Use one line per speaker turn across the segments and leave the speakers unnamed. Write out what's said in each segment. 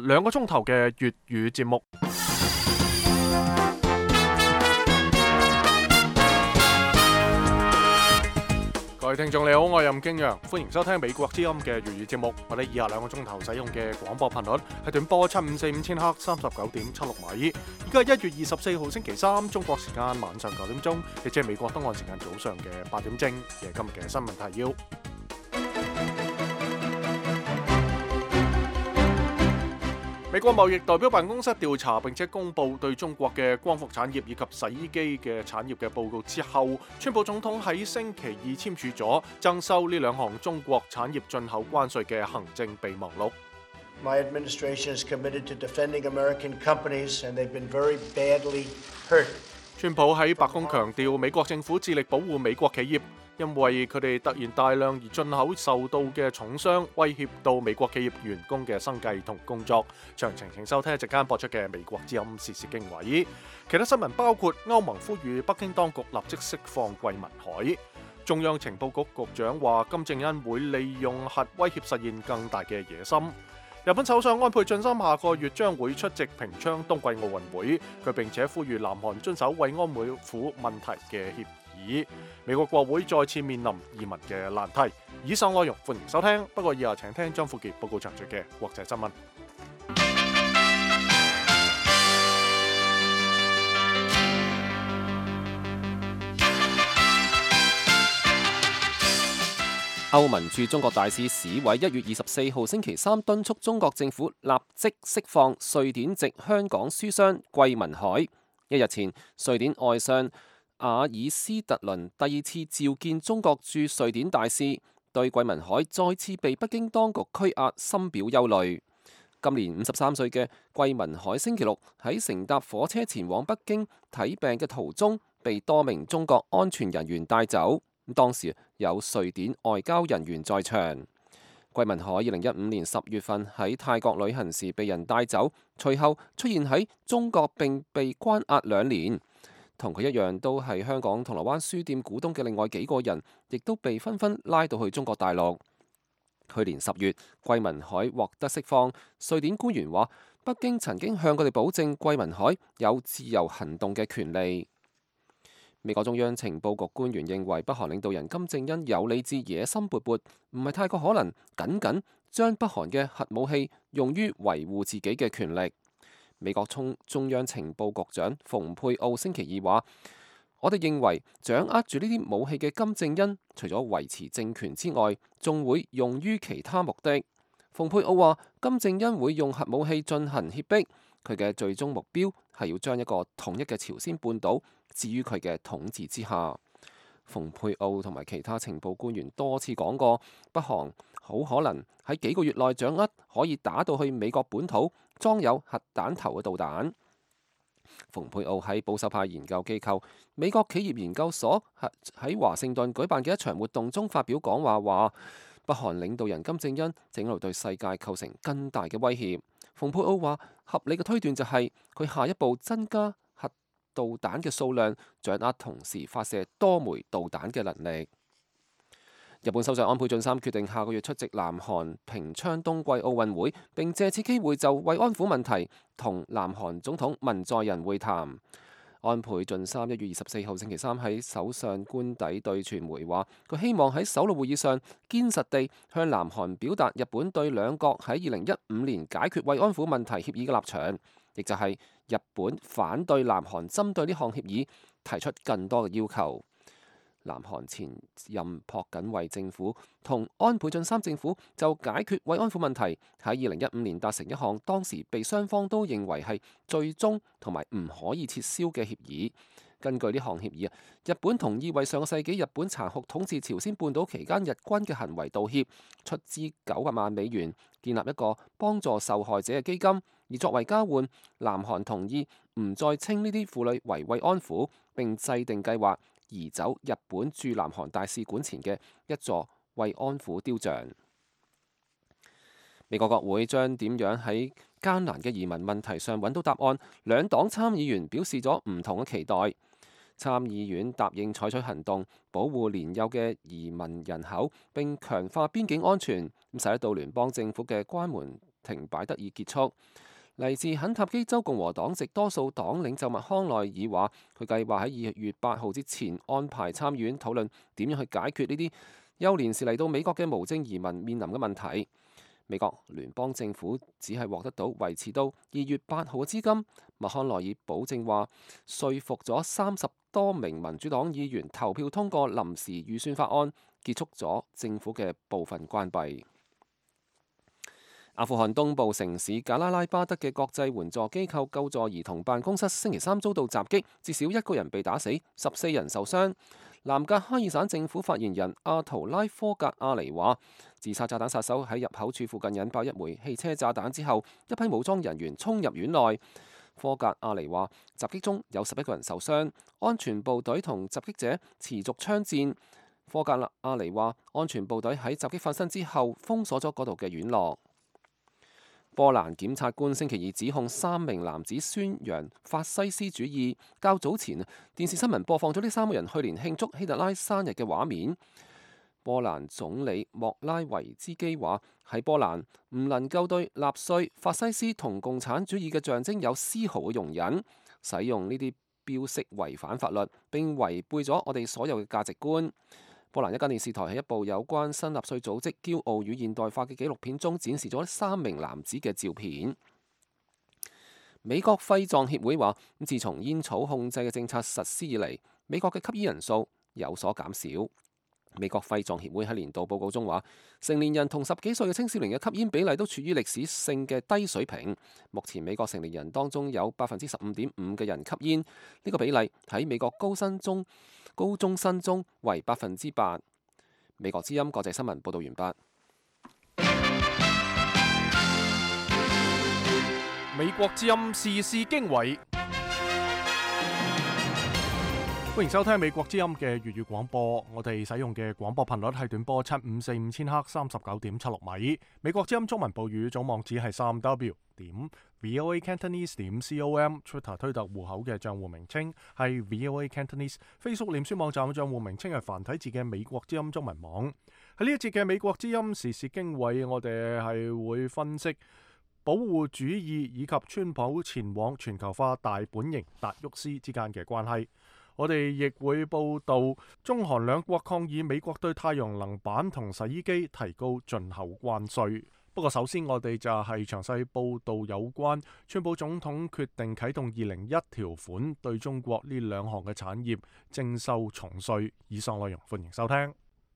2個鐘頭嘅粵語節目。各位聽眾你好，我係任敬陽，歡迎收聽美國之音嘅粵語節目。我哋以下2個鐘頭使用嘅廣播頻率係短波7545千赫39.76米。而家係1月24號星期三，中國時間晚上9點鐘，亦即係美國東岸時間早上嘅8點正。嘅今日嘅新聞提要。美國貿易代表辦公室調查並且公佈對中國嘅光伏產業以及洗衣機嘅產業嘅報告之後，川普總統喺星期二簽署咗徵收呢2項中國產業進口關稅嘅行政備忘錄。
My administration is committed to defending American companies, and they've been very badly hurt.
川普喺白宮強調，美國政府致力保護美國企業，因為佢哋突然大量而進口受到嘅重傷，威脅到美國企業員工嘅生計同工作。詳情請收聽一陣間播出嘅美國之音時事經緯。其他新聞包括歐盟呼籲北京當局立即釋放桂民海。中央情報局局長話金正恩會利用核威脅實現更大嘅野心。日本首相安倍晉三下個月將會出席平昌冬季奧運會，佢並且呼籲南韓遵守慰安婦問題嘅協議。美國國會再次面臨移民嘅難題。以上內容歡迎收聽，不過以下請聽張富傑報告詳盡嘅國際新聞。
歐盟駐中國大使史偉1月24號星期三敦促中國政府立即釋放瑞典籍香港書商桂民海。一日前，瑞典外相阿爾斯特倫第2次召見中國駐瑞典大使，對桂民海再次被北京當局拘押深表憂慮。今年53歲嘅桂民海星期六喺乘搭火車前往北京睇病嘅途中，被多名中國安全人員帶走。當時有瑞典外交人員在場。桂民海2015年10月份喺泰國旅行時被人帶走，隨後出現喺中國並被關押2年。同佢一樣都係香港銅鑼灣書店股東嘅另外幾個人，亦都被紛紛拉到去中國大陸。去年10月，桂民海獲得釋放。瑞典官員話，北京曾經向佢哋保證桂民海有自由行動嘅權利。美國中央情報局官員認為，北韓領導人金正恩有理智、野心勃勃，唔係太過可能僅僅將北韓嘅核武器用於維護自己嘅權力。美國中央情報局長蓬佩奧星期二話：我哋認為掌握住呢啲武器嘅金正恩，除咗維持政權之外，仲會用於其他目的。蓬佩奧話：金正恩會用核武器進行脅迫，佢嘅最終目標係要將一個統一嘅朝鮮半島置於佢嘅統治之下。蓬佩奧同埋其他情報官員多次講過，北韓好可能喺幾個月內掌握可以打到去美國本土裝有核彈頭嘅導彈。蓬佩奧喺保守派研究機構美國企業研究所喺華盛頓舉辦嘅一場活動中發表講話，話北韓領導人金正恩正喺度對世界構成更大嘅威脅。蓬佩奧話，合理嘅推斷就係佢下一步增加核導彈嘅數量，掌握同時發射多枚導彈嘅能力。日本首相安倍晉三決定下個月出席南韓平昌冬季奧運會，並借此機會就慰安婦問題同南韓總統文在寅會談。安倍晉三1月24號星期三喺首相官邸對傳媒話，佢希望喺首腦會議上堅實地向南韓表達日本對兩國喺2015年解決慰安婦問題協議嘅立場，亦就係日本反對南韓針對呢項協議提出更多嘅要求。南韓前任朴槿惠政府同安倍晉三政府就解決慰安婦問題喺2015年達成一項當時被雙方都認為係最終同埋唔可以撤銷嘅協議。根據呢項協議，日本同意為上個世紀日本殘酷統治朝鮮半島期間日軍嘅行為道歉，出資900萬美元建立一個幫助受害者嘅基金，而作為交換，南韓同意唔再稱呢啲婦女為慰安婦，並制定計劃移走日本駐南韓大使館前嘅一座慰安婦雕像。美國國會將點樣喺艱難嘅移民問題上揾到答案，兩黨參議員表示咗唔同嘅期待。參議院答應採取行動，保護年幼嘅移民人口，並強化邊境安全，使到聯邦政府嘅關門停擺得以結束。嚟自肯塔基州共和黨籍多數黨領袖麥康奈爾話，佢計劃喺2月8號之前安排參議院討論點樣去解決呢啲幼年時嚟到美國嘅無證移民面臨嘅問題。美國聯邦政府只係獲得到維持到2月8號嘅資金。麥康奈爾保證話，說服咗30多名民主黨議員投票通過臨時預算法案，結束咗政府嘅部分關閉。阿富汗東部城市賈拉拉巴德嘅國際援助機構救助兒童辦公室星期三遭到襲擊，至少1個人被打死，14人受傷。南格哈爾省政府發言人阿圖拉科格阿尼話，自殺炸彈殺手喺入口處附近引爆一枚汽車炸彈之後，一批武裝人員衝入院內。科格阿尼話，襲擊中有11個人受傷，安全部隊同襲擊者持續槍戰。科格阿尼話，安全部隊喺襲擊發生之後封鎖咗嗰度嘅院落。波蘭檢察官星期二指控3名男子宣揚法西斯主義。較早前，電視新聞播放咗呢3個人去年慶祝希特拉生日嘅畫面。波蘭總理莫拉維茲基話，喺波蘭唔能夠對納粹、法西斯同共產主義嘅象徵有絲毫嘅容忍，使用呢啲標識違反法律，並違背咗我哋所有嘅價值觀。波蘭一間電視台喺一部有關新納粹組織驕傲與現代化嘅紀錄片中展示咗3名男子嘅照片。美國肺臟協會話，自從煙草控制嘅政策實施以嚟，美國嘅吸煙人數有所減少。美國肺臟協會喺年度報告中話，成年人同10幾歲嘅青少年嘅吸煙比例都處於歷史性嘅低水平。目前美國成年人當中有15.5%嘅人吸煙，呢個比例喺美國高中生中為8%。美國之音國際新聞報道完畢。
美國之音時事經緯，歡迎收聽美國之音嘅粵語廣播。我哋使用嘅廣播頻率係短波7545千赫39.76米。美國之音中文部語總網址係3w.voacantonese.com。Twitter 推特戶口嘅賬戶名稱係 VOA Cantonese。Facebook 臉書網站嘅賬戶名稱係繁體字嘅美國之音中文網。喺呢一節嘅美國之音時事經緯，我哋係會分析保護主義以及川普前往全球化大本營達沃斯之間嘅關係。我哋亦會報道中韓兩國抗議美國對太陽能板同洗衣機提高進口關稅。不過首先我哋就係詳細報道有關川普總統決定啟動201條款，對中國呢2項嘅產業徵收重稅。以上內容歡迎收聽。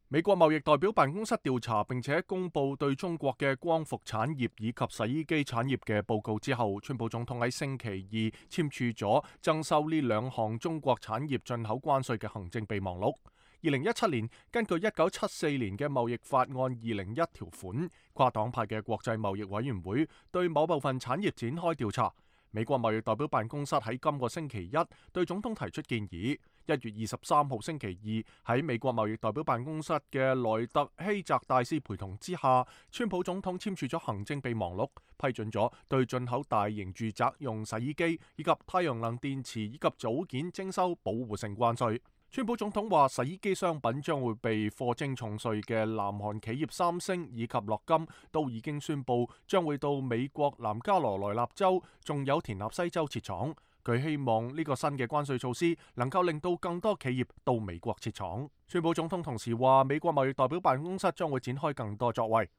美國貿易代表辦公室調查並且公布對中國嘅光伏產業以及洗衣機產業嘅報告之後，川普總統喺星期二簽署咗徵收呢2項中國產業進口關稅嘅行政備忘錄。2017年根據1974年嘅貿易法案201條款，跨黨派嘅國際貿易委員會對某部分產業展開調查。美國貿易代表辦公室喺今個星期一對總統提出建議。1月23號星期二喺美國貿易代表辦公室嘅萊特希澤大使陪同之下，川普總統簽署咗行政備忘錄，批准咗對進口大型住宅用洗衣機以及太陽能電池以及組件徵收保護性關稅。川普總統話，洗衣機商品將會被課徵重稅嘅南韓企業三星以及樂金都已經宣布將會到美國南加羅來納州仲有田納西州設廠。佢希望呢個新嘅關稅措施能夠令到更多企業到美國設廠。川普總統同時話，美國貿易代表辦公室將會展開更多作為。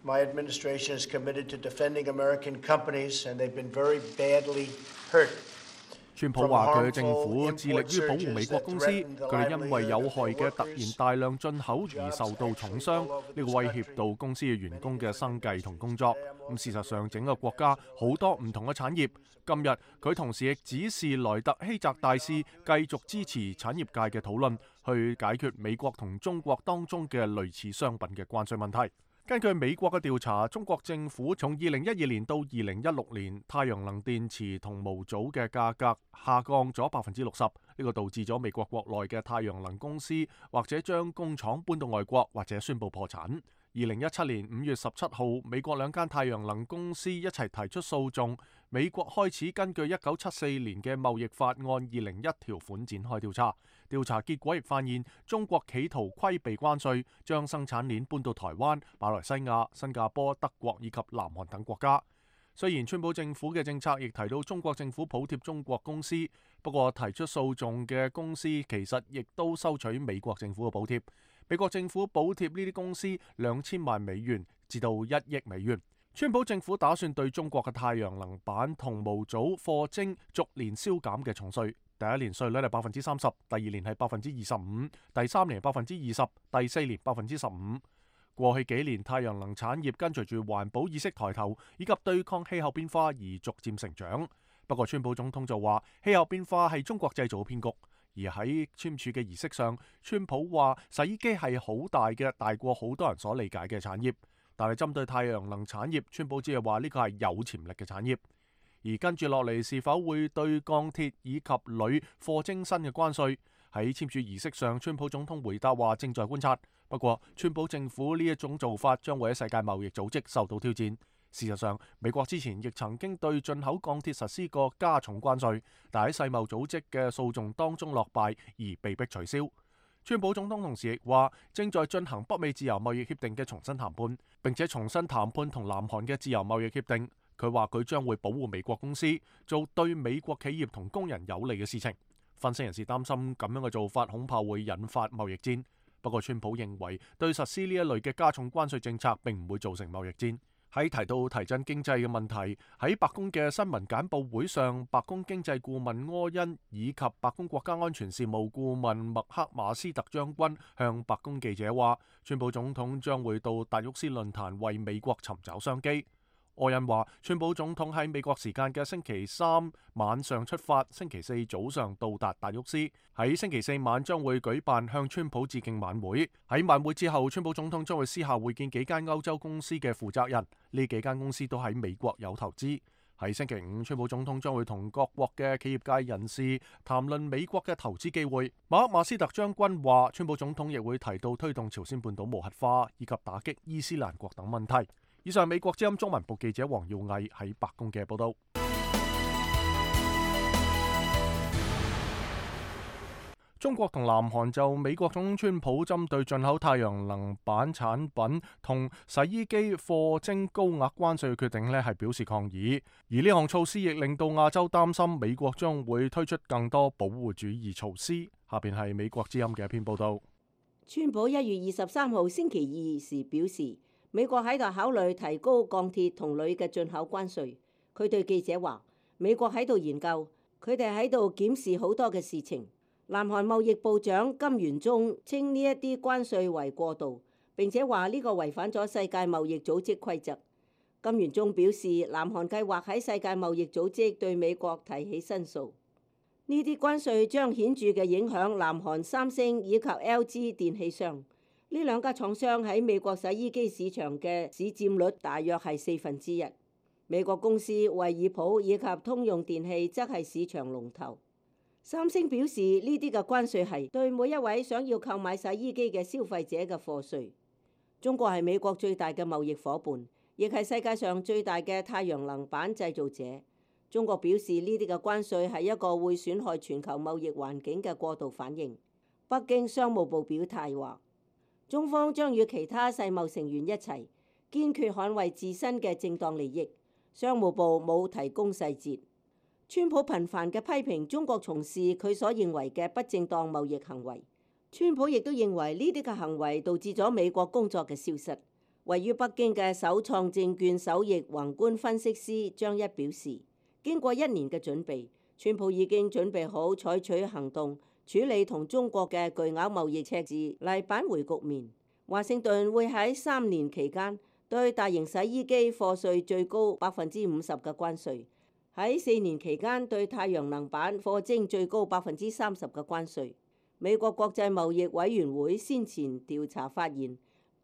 My administration is committed to defending American companies, and they've been very badly hurt.
川普話佢嘅政府致力於保護美國公司，佢哋因為有害嘅突然大量進口而受到重傷，呢個威脅到公司嘅員工嘅生計同工作。事實上，整個國家好多唔同嘅產業。今日佢同時亦指示萊特希澤大使繼續支持產業界嘅討論，去解決美國同中國當中嘅類似商品嘅關稅問題。根據美國嘅調查，中國政府從2012年到2016年，太陽能電池同模組嘅價格下降咗60%，呢個導致咗美國國內嘅太陽能公司或者將工廠搬到外國，或者宣布破產。2017年5月17號，美國2間太陽能公司一齊提出訴訟，美國開始根據1974年嘅貿易法案201條款展開調查。調查結果亦發現，中國企圖規避關稅，將生產鏈搬到台灣、馬來西亞、新加坡、德國以及南韓等國家。雖然川普政府嘅政策亦提到中國政府補貼中國公司，不過提出訴訟嘅公司其實亦都收取美國政府嘅補貼。美國政府補貼呢啲公司2000萬美元至到1億美元。川普政府打算對中國嘅太陽能板同模組課徵逐年消減嘅重稅，第一年稅率係30%，第二年係25%，第三年係20%，第4年15%。過去幾年，太陽能產業跟隨住環保意識抬頭以及對抗氣候變化而逐漸成長。不過，川普總統就話氣候變化係中國製造嘅騙局。而喺簽署嘅儀式上，川普話洗衣機係好大嘅，大過好多人所理解嘅產業。但係針對太陽能產業，川普只係話呢個係有潛力嘅產業。而跟住落嚟是否會對鋼鐵以及鋁課徵新嘅關稅？喺簽署儀式上，川普總統回答話正在觀察。不過，川普政府呢一種做法將會喺世界貿易組織受到挑戰。事實上，美國之前亦曾經對進口鋼鐵實施過加重關稅，但喺世貿組織嘅訴訟當中落敗而被迫取消。川普總統同時亦話正在進行北美自由貿易協定嘅重新談判，並且重新談判同南韓嘅自由貿易協定。佢話佢將會保護美國公司，做對美國企業同工人有利嘅事情。分析人士擔心咁樣嘅做法恐怕會引發貿易戰。不過，川普認為對實施呢一類嘅加重關稅政策並唔會造成貿易戰。喺提到提振經濟嘅問題，喺白宮嘅新聞簡報會上，白宮經濟顧問柯恩以及白宮國家安全事務顧問麥克馬斯特將軍向白宮記者話，川普總統將會到達沃斯論壇為美國尋找商機。柯恩話，川普總統喺美國時間嘅星期三晚上出發，星期四早上到達達沃斯，喺星期四晚將會舉辦向川普致敬晚會。喺晚會之後，川普總統將會私下會見幾間歐洲公司嘅負責人，呢幾間公司都喺美國有投資。喺星期五，川普總統將會同各國嘅企業界人士談論美國嘅投資機會。馬克馬斯特將軍話，川普總統亦會提到推動朝鮮半島無核化以及打擊伊斯蘭國等問題。以上美國之音中文部記者黃耀毅喺白宮嘅報道。中國同南韓就美國總統川普針對進口太陽能板產品同洗衣機課徵高額關稅嘅決定係表示抗議，而呢項措施亦令到亞洲擔心美國將會推出更多保護主義措施。下邊係美國之音嘅一篇報道。
川普1月23號星期二時表示，美國喺度考慮提高鋼鐵同鋁嘅進口關稅。佢對記者話，美國喺度研究，佢哋喺度檢視好多嘅事情。南韓貿易部長金元中稱呢一啲關稅為過度，並且話呢個違反咗世界貿易組織規則。金元中表示，南韓計劃喺世界貿易組織對美國提起申訴。呢啲關稅將顯著嘅影響南韓三星以及 LG 電器商。呢兩家廠商喺美國洗衣機市場嘅市佔率大約係1/4。美國公司惠而浦以及通用電器則係市場龍頭。三星表示，呢啲嘅關稅係對每一位想要購買洗衣機嘅消費者嘅課稅。中國係美國最大嘅貿易夥伴，亦係世界上最大嘅太陽能板製造者。中國表示，呢啲嘅關稅係一個會損害全球貿易環境嘅過度反應。北京商務部表態話，中方將與其他世貿成員一齊，堅決捍衛自身嘅正當利益。商務部冇提供細節。川普頻繁嘅批評中國從事佢所認為嘅不正當貿易行為。川普亦都認為呢啲嘅行為導致咗美國工作嘅消失。位於北京嘅首創證券首席宏觀分析師張一表示，經過1年嘅準備，川普已經準備好採取行動，處理同中國嘅巨額貿易赤字嚟扳回局面。華盛頓會喺3年期間對大型洗衣機課稅最高50%嘅關稅，喺4年期間對太陽能板課徵最高30%嘅關稅。美國國際貿易委員會先前調查發現，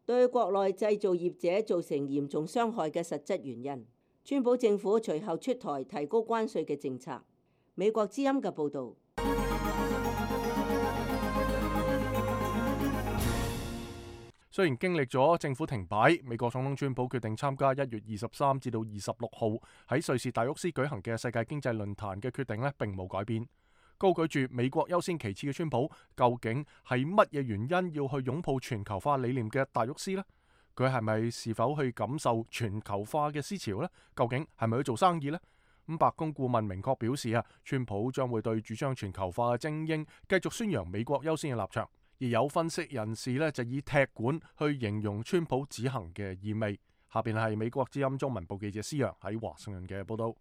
對國內製造業者造成嚴重傷害嘅實質原因。川普政府隨後出台提高關稅嘅政策。美國之音嘅報導。
雖然經歷咗政府停擺，美國總統川普決定參加1月23至到26號喺瑞士達沃斯舉行嘅世界經濟論壇嘅決定呢，並冇改變。高舉住美國優先其次嘅川普，究竟係乜嘢原因要去擁抱全球化理念嘅達沃斯呢？佢係咪是否去感受全球化嘅思潮呢？究竟係咪去做生意呢？白宮顧問明確表示川普將會對主張全球化嘅精英繼續宣揚美國優先嘅立場。而有分析人士呢，就以踢館去形容川普此行嘅意味。下邊係美國之音中文部記者施洋喺華盛頓嘅報道。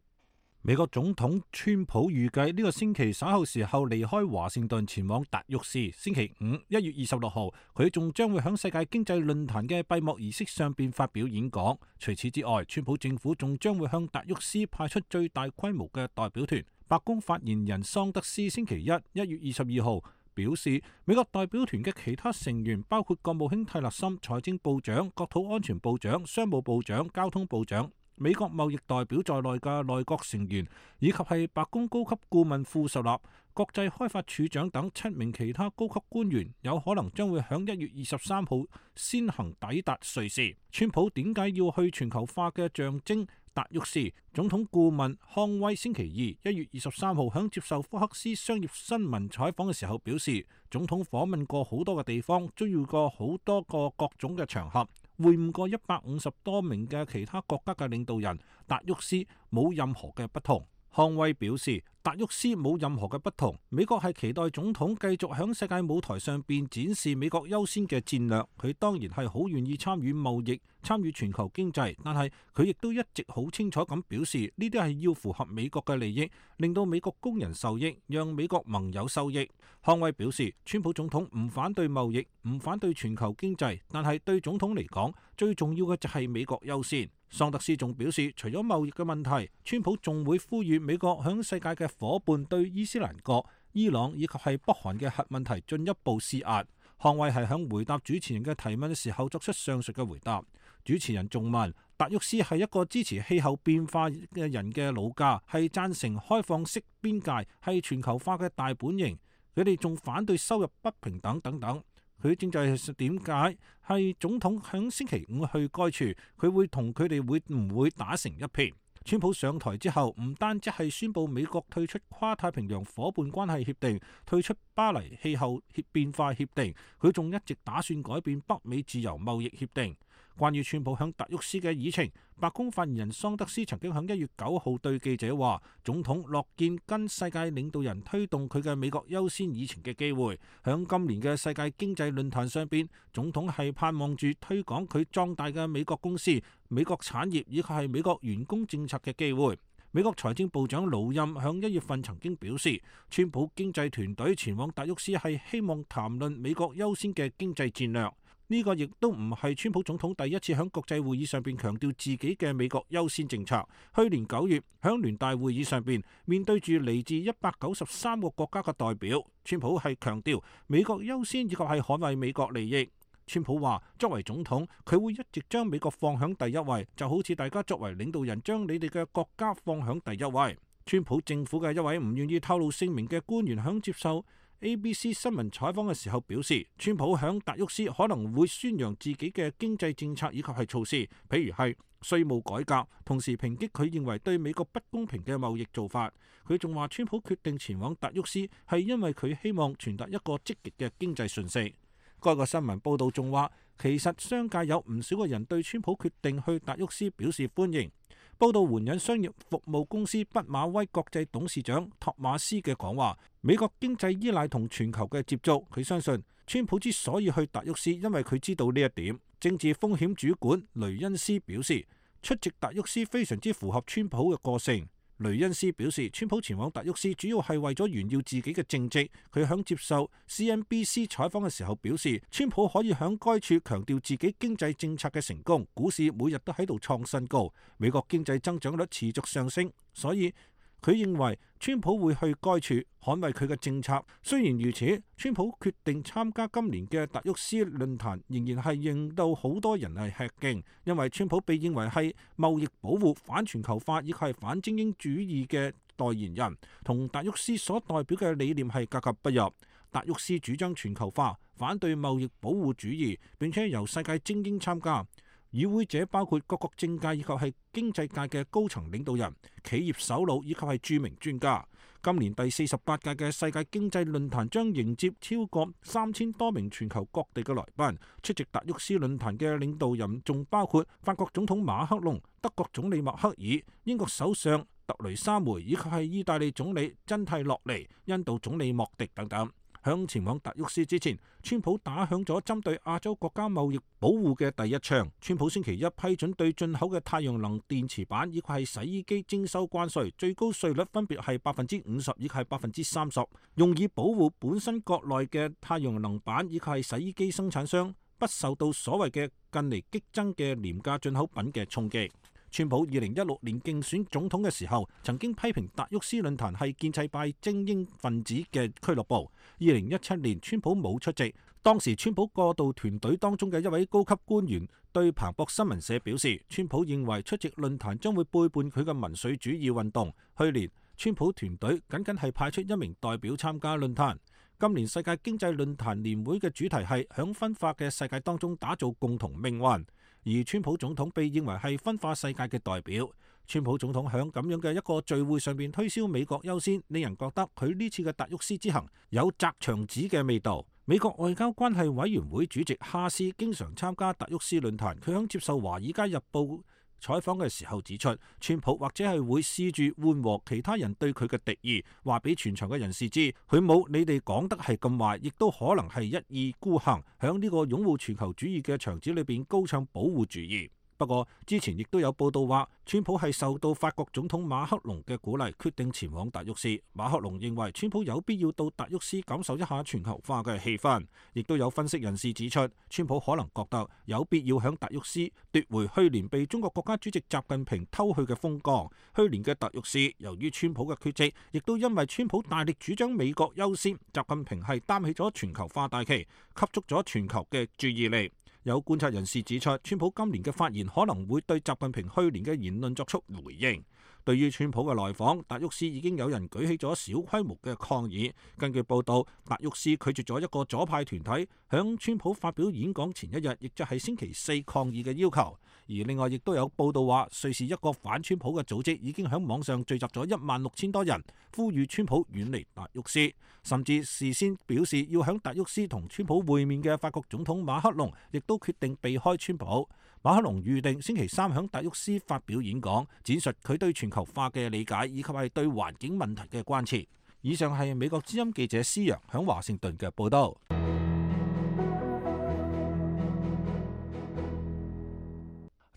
美國總統川普預計呢個星期稍後時候離開華盛頓前往達沃斯。星期五1月26號，佢仲將會喺世界經濟論壇嘅閉幕儀式上邊發表演講。除此之外，川普政府仲將會向達沃斯派出最大規模嘅代表團。白宮發言人桑德斯星期1月22號表示，美國代表團嘅其他成員包括國務卿蒂勒森、財政部長、國土安全部長、商務部長、交通部長、美國貿易代表在內嘅內閣成員，以及係白宮高級顧問庫什納、國際開發處長等7名其他高級官員，有可能將會喺1月23號先行抵達瑞士。川普點解要去全球化嘅象徵達沃斯？總統顧問康威星期2 1月23號喺接受福克斯商業新聞採訪嘅時候表示，總統訪問過好多嘅地方，遭遇過好多個各種嘅場合，會晤過150多名嘅其他國家嘅領導人，達沃斯冇任何嘅不同。康威表示，達沃斯冇任何嘅不同。美國係期待總統繼續響世界舞台上邊展示美國優先嘅戰略。佢當然係好願意參與貿易、參與全球經濟，但係佢亦都一直好清楚咁表示，呢啲係要符合美國嘅利益，令到美國工人受益，讓美國盟友受益。康威表示，川普總統唔反對貿易，唔反對全球經濟，但係對總統嚟講，最重要嘅就係美國優先。桑德斯仲表示，除咗貿易嘅問題，川普仲會呼籲美國響世界嘅夥伴對伊斯蘭國、伊朗以及係北韓嘅核問題進一步施壓。康威係響回答主持人嘅提問嘅時候作出上述嘅回答。主持人仲問，達沃斯係一個支持氣候變化嘅人嘅老家，係贊成開放式邊界，係全球化嘅大本營。佢哋仲反對收入不平等等等。佢正在點解係總統響星期5去該處，佢會同佢哋會唔會打成一片？川普上台之後，唔單止係宣布美國退出跨太平洋夥伴關係協定、退出巴黎氣候變化協定，佢仲一直打算改變北美自由貿易協定。關於川普響達沃斯嘅議程，白宮發言人桑德斯曾經響1月9號對記者話，總統樂見跟世界領導人推動佢嘅美國優先議程嘅機會。響今年嘅世界經濟論壇上邊，總統係盼望住推廣佢壯大嘅美國公司、美國產業以及係美國員工政策嘅機會。美國財政部長魯欽響1月份曾經表示，川普經濟團隊前往達沃斯係希望談論美國優先嘅經濟戰略。呢個亦都唔係川普總統第一次喺國際會議上邊強調自己嘅美國優先政策。去年9月喺聯大會議上邊，面對住嚟自193個國家嘅代表，川普係強調美國優先以及係捍衛美國利益。川普話，作為總統，佢會一直將美國放響第一位，就好似大家作為領導人將你哋嘅國家放響第一位。川普政府嘅一位唔願意透露姓名嘅官員響接受ABC 新聞採訪嘅時候表示，川普響達沃斯可能會宣揚自己嘅經濟政策以及係措施，譬如係稅務改革，同時抨擊佢認為對美國不公平嘅貿易做法。佢仲話，川普決定前往達沃斯係因為佢希望傳達一個積極嘅經濟訊息。該個新聞報導仲話，其實商界有唔少個人對川普決定去達沃斯表示歡迎。報道援引商業服務公司畢馬威國際董事長托馬斯嘅講話，美國經濟依賴同全球嘅接觸。佢相信川普之所以去達沃斯，因為佢知道呢一點。政治風險主管雷恩斯表示，出席達沃斯非常之符合川普嘅個性。雷恩斯表示，川普前往達沃斯主要係為咗炫耀自己嘅政績。佢響接受 CNBC 採訪嘅時候表示，川普可以響該處強調自己經濟政策嘅成功，股市每日都喺度創新高，美國經濟增長率持續上升，所以佢認為川普會去該處捍衛佢嘅政策。雖然如此，川普決定參加今年嘅達沃斯論壇，仍然係令到好多人係吃驚，因為川普被認為係貿易保護、反全球化以及係反精英主義嘅代言人，同達沃斯所代表嘅理念係格格不入。達沃斯主張全球化，反對貿易保護主義，並且由世界精英參加。與會者包括各國政界以及係經濟界嘅高層領導人、企業首腦以及係著名專家。今年第48屆嘅世界經濟論壇將迎接超過3000多名全球各地嘅來賓。出席達沃斯論壇嘅領導人仲包括法國總統馬克龍、德國總理默克爾、英國首相特雷莎梅以及係意大利總理真蒂洛尼、印度總理莫迪等等。響前往達沃斯之前，川普打響咗針對亞洲國家貿易保護嘅第一槍。川普星期一批准對進口嘅太陽能電池板以及係洗衣機徵收關稅，最高稅率分別係50%以及係30%，用以保護本身國內嘅太陽能板以及係洗衣機生產商不受到所謂嘅近嚟激增嘅廉價進口品嘅衝擊。川普2016年競選總統嘅時候，曾經批評達沃斯論壇係建制派精英分子嘅俱樂部。2017年，川普冇出席。當時川普過渡團隊當中嘅一位高級官員對彭博新聞社表示，川普認為出席論壇將會背叛佢嘅民粹主義運動。去年，川普團隊僅僅係派出1名代表參加論壇。今年世界經濟論壇年會嘅主題係響分化嘅世界當中打造共同命運。而川普總統被認為係分化世界嘅代表。川普總統響咁樣嘅一個聚會上邊推銷美國優先，令人覺得佢呢次嘅達沃斯之行有擲牆子嘅味道。美國外交關係委員會主席哈斯經常參加達沃斯論壇，佢響接受華爾街日報採訪嘅時候指出，川普或者係會試住緩和其他人對佢嘅敵意，話俾全場嘅人士知，佢冇你哋講得係咁壞，亦都可能係一意孤行，響呢個擁護全球主義嘅場子裏邊高唱保護主義。不過之前亦都有報道話，川普係受到法國總統馬克龍嘅鼓勵，決定前往達沃斯。馬克龍認為川普有必要到達沃斯感受一下全球化嘅氣氛。亦都有分析人士指出，川普可能覺得有必要響達沃斯奪回去年被中國國家主席習近平偷去嘅風光。去年嘅達沃斯，由於川普嘅缺席，亦都因為川普大力主張美國優先，習近平係擔起咗全球化大旗，吸足咗全球嘅注意力。有觀察人士指出，川普今年嘅發言可能會對習近平去年嘅言論作出回應。對於川普嘅來訪，達沃斯已經有人舉起咗小規模嘅抗議。根據報道，達沃斯拒絕咗一個左派團體響川普發表演講前一日，亦就係星期四抗議嘅要求。而另外亦都有報道話，瑞士一個反川普嘅組織已經響網上聚集咗16000多人，呼籲川普遠離達沃斯。甚至事先表示要響達沃斯同川普會面嘅法國總統馬克龍，亦都決定避開川普。馬克龍預定星期三響達沃斯發表演講，展述佢對全球化嘅理解以及係對環境問題嘅關切。以上係美國之音記者施陽響華盛頓嘅報道。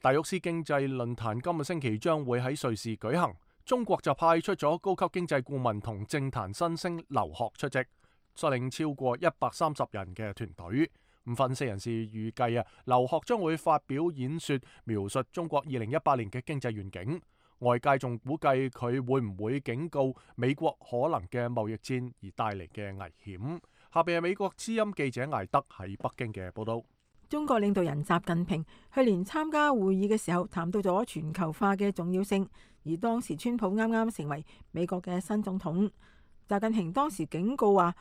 達沃斯經濟論壇今個星期將會喺瑞士舉行，中國就派出咗高級經濟顧問同政壇新星劉鶴出席，率領超過130人嘅團隊。分析人士預計劉鶴將會發表演說，描述中國2018年嘅經濟願景。外界仲估計佢會唔會警告美國可能嘅貿易戰而帶嚟嘅危險。下邊係美國之音記者艾德喺北京嘅報道。
中國領導人習近平去年參加會議嘅時候，談到咗全球化嘅重要性，而當時川普啱啱成為美國嘅新總統。習近平當時警告話，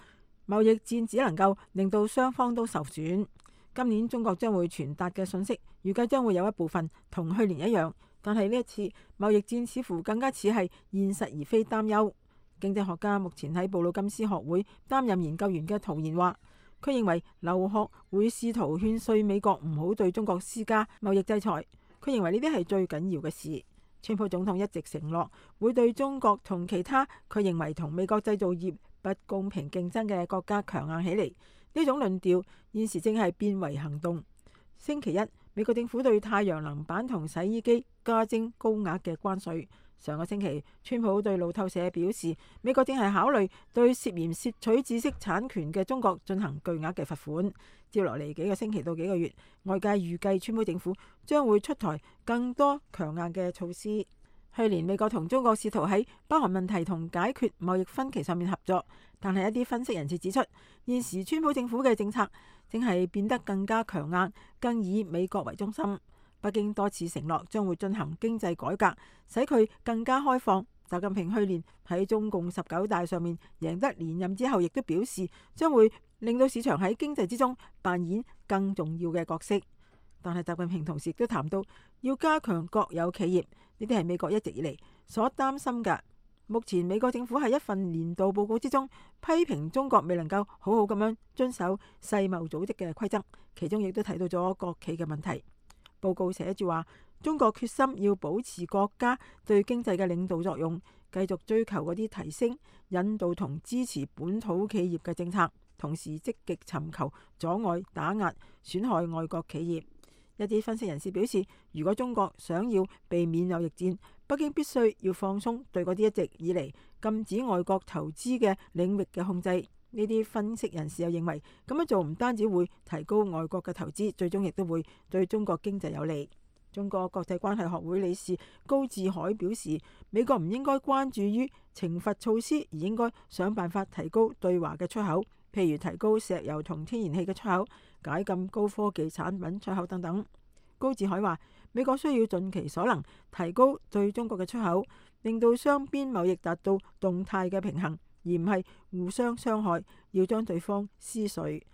貿易戰只能夠令到雙方都受損。今年中國將會傳達嘅信息，預計將會有一部分同去年一樣，但係呢一次貿易戰似乎更加似係現實而非擔憂。經濟學家目前喺布魯金斯學會擔任研究員嘅陶賢話，佢認為劉鶴會試圖勸說美國唔好對中國施加貿易制裁。佢認為呢啲係最緊要嘅事。川普總統一直承諾會對中國同其他佢認為同美國製造業不公平競爭嘅國家強硬起嚟。呢種論調現時正係變為行動。星期一，美國政府對太陽能板同洗衣機加徵高額嘅關稅。上個星期，川普對路透社表示，美國正係考慮對涉嫌竊取知識產權嘅中國進行巨額嘅罰款。接落嚟幾個星期到幾個月，外界預計川普政府將會出台更多強硬嘅措施。去年美國同中國試圖喺北韓問題同解決貿易分歧上面合作，但係一啲分析人士指出，現時川普政府嘅政策正係變得更加強硬，更以美國為中心。北京多次承諾將會進行經濟改革，使佢更加開放，習近平去年喺中共19大上面贏得連任之後，亦都表示將會令到市場喺經濟之中扮演更重要嘅角色。但係習近平同時亦都談到要加強國有企業，呢啲係美國一直以嚟所擔心嘅。目前美國政府喺一份年度報告之中批評中國未能夠好好咁樣遵守世貿組織嘅規則，其中亦都提到咗國企嘅問題。報告寫住話，中國決心要保持國家對經濟嘅領導作用，繼續追求嗰啲提升、引導同支持本土企業嘅政策，同時積極尋求阻礙、打壓、損害外國企業。一啲分析人士表示，如果中國想要避免貿易戰，北京必須要放鬆對嗰啲一直以嚟禁止外國投資嘅領域嘅控制。呢啲分析人士又認為，咁樣做唔單止會提高外國嘅投資，最終亦都會對中國經濟有利。中國國際關係學會理事高志海表示，美國唔應該關注於懲罰措施，而應該想辦法提高對華嘅出口，譬如提高石油同天然氣嘅出口，解禁高科技產品出口等等。高志海話，美國需要盡其所能提高對中國嘅出口，令到雙邊貿易達到動態嘅平衡，而唔係互相傷害，要將對方撕碎。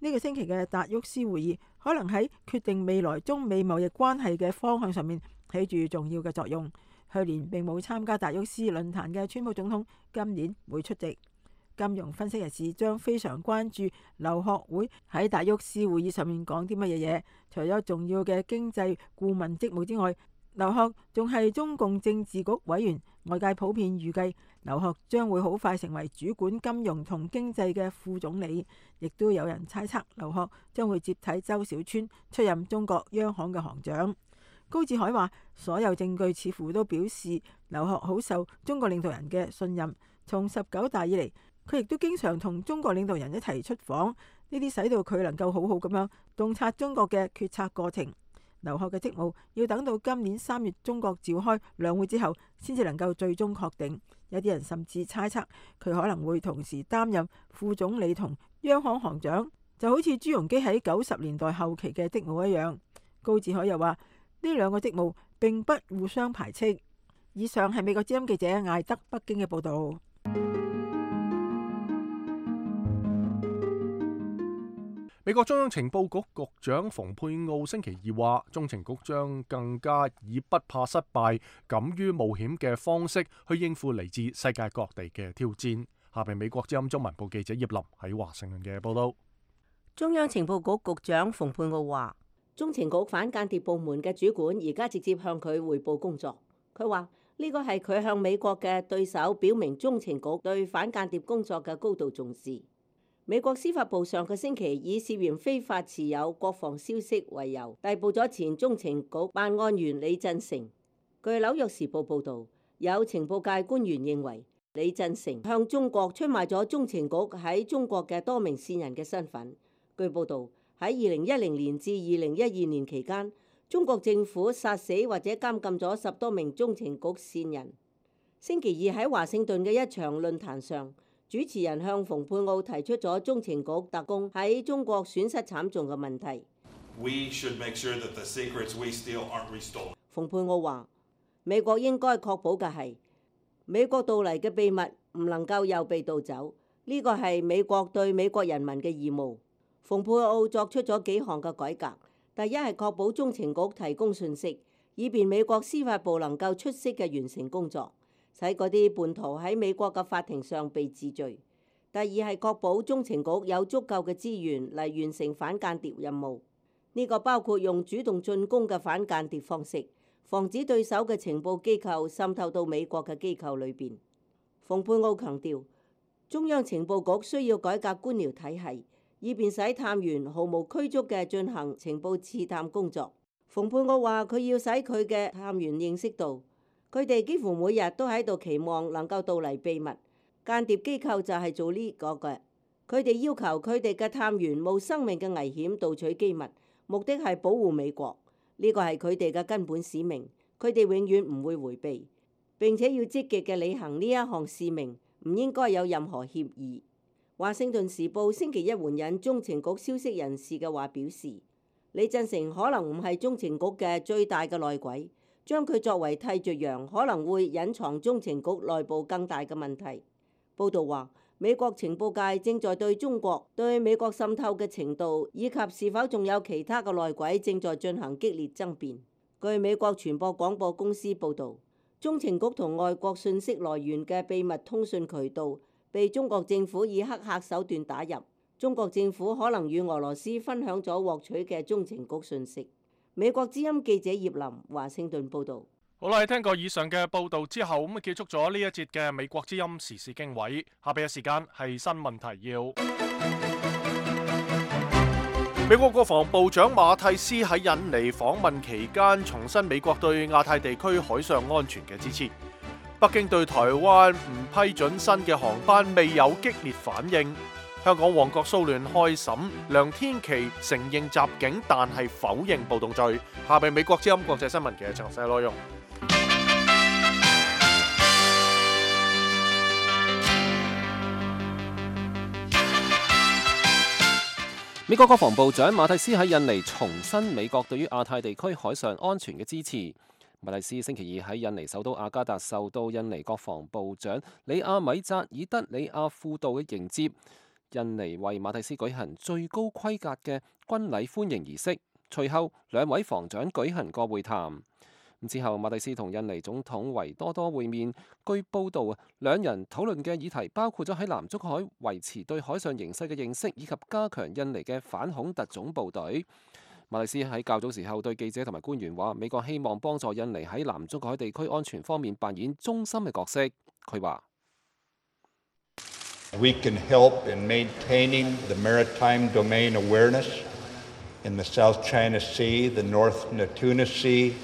呢個星期嘅達沃斯會議可能喺決定未來中美貿易關係嘅方向上面起住重要嘅作用。去年並冇參加達沃斯論壇嘅川普總統今年會出席。金融分析人士將非常關注劉鶴會喺達沃斯會議上面講啲乜嘢嘢。除咗重要嘅經濟顧問職務之外，劉鶴仲係中共政治局委員。外界普遍預計劉鶴將會好快成為主管金融同經濟嘅副總理，亦都有人猜測劉鶴將會接替周小川出任中國央行嘅行長。高志海話，所有證據似乎都表示劉鶴好受中國領導人嘅信任，從19大以嚟，佢亦都經常同中國領導人一齊出訪，呢啲使到佢能夠好好咁樣洞察中國嘅決策過程。劉鶴嘅職務要等到今年3月中國召開兩會之後，先至能夠最終確定。有啲人甚至猜測佢可能會同時擔任副總理同央行行長，就好似朱鎔基喺90年代後期嘅職務一樣。高志海又話，呢兩個職務並不互相排斥。以上係美國之音記者艾德北京嘅報導。
美國中央情報局局長蓬佩奧星期二話，中情局將更加以不怕失敗、敢於冒險嘅方式去應付嚟自世界各地嘅挑戰。下邊美國之音中文部記者葉林喺華盛頓嘅報道。
中央情報局局長蓬佩奧話，中情局反間諜部門嘅主管而家直接向佢匯報工作。佢話呢個係佢向美國嘅對手表明中情局對反間諜工作嘅高度重視。美國司法部上個星期以涉嫌非法持有國防消息為由，逮捕咗前中情局辦案員李振成。據紐約時報報導，有情報界官員認為李振成向中國出賣咗中情局喺中國嘅多名線人嘅身份。據報導，喺2010年至2012年期間，中國政府殺死或者監禁咗10多名中情局線人。星期二喺華盛頓嘅一場論壇上，主持人向蓬佩奧提出咗中情局特工喺中國損失慘重嘅問題。蓬佩奧話：美國應該確保嘅係美國盜嚟嘅秘密唔能夠又被盜走，呢個係美國對美國人民嘅義務。蓬佩奧作出咗幾項嘅改革，第一係確保中情局提供信息，以便美國司法部能夠出色嘅完成工作，使嗰啲叛徒喺美國嘅法庭上被治罪。第二係確保中情局有足夠嘅資源嚟完成反間諜任務，呢個包括用主動進攻嘅反間諜方式，防止對手嘅情報機構滲透到美國嘅機構裏邊。蓬佩奧強調，中央情報局需要改革官僚體系，以便使探員毫無拘束嘅進行情報刺探工作。蓬佩奧話，佢要使佢嘅探員認識到，佢哋幾乎每日都喺度期望能夠盜嚟秘密，間諜機構就係做呢個嘅。佢哋要求佢哋嘅探員冒生命嘅危險盜取機密，目的係保護美國。呢個係佢哋嘅根本使命，佢哋永遠唔會迴避，並且要積極嘅履行呢一項使命，唔應該有任何協議。華盛頓時報星期一援引中情局消息人士嘅話表示，李振成可能唔係中情局嘅最大嘅內鬼，將佢作為替罪羊可能會隱藏中情局內部更大嘅問題。報道話，美國情報界正在對中國對美國滲透嘅程度以及是否仲有其他嘅內鬼正在進行激烈爭辯。據美國傳播廣播公司報導，中情局同外國信息來源嘅秘密通訊渠道被中國政府以黑客手段打入。中國政府可能與俄羅斯分享咗獲取嘅中情局信息。美國之音記者葉林華盛頓報導。
好啦，聽過以上嘅報導之後，咁結束咗呢一節嘅美國之音時事經緯。下邊嘅時間係新聞提要。美國國防部長馬蒂斯喺印尼訪問期間，重申美國對亞太地區海上安全嘅支持。北京對台灣唔批准新嘅航班未有激烈反應。香港旺角騷亂開審，梁天琦承認襲警，但係否認暴動罪。下邊美國之音國際新聞嘅詳細內容。
美國國防部長馬蒂斯喺印尼重申美國對於亞太地區海上安全嘅支持。馬蒂斯星期二喺印尼首都雅加達受到印尼國防部長里亞米扎爾德里亞庫杜嘅迎接。印尼為馬蒂斯舉行最高規格嘅軍禮歡迎儀式，隨後兩位防長舉行過會談。之後，馬蒂斯同印尼總統維多多會面。據報道，兩人討論嘅議題包括咗喺南中海維持對海上形勢嘅認識，以及加強印尼嘅反恐特種部隊。馬蒂斯喺較早時候對記者同埋官員話，美國希望幫助印尼喺南中國海地區安全方面扮演中心嘅角色。佢話
：We can help in maintaining the maritime domain awareness in the South China Sea, the North Natuna Sea.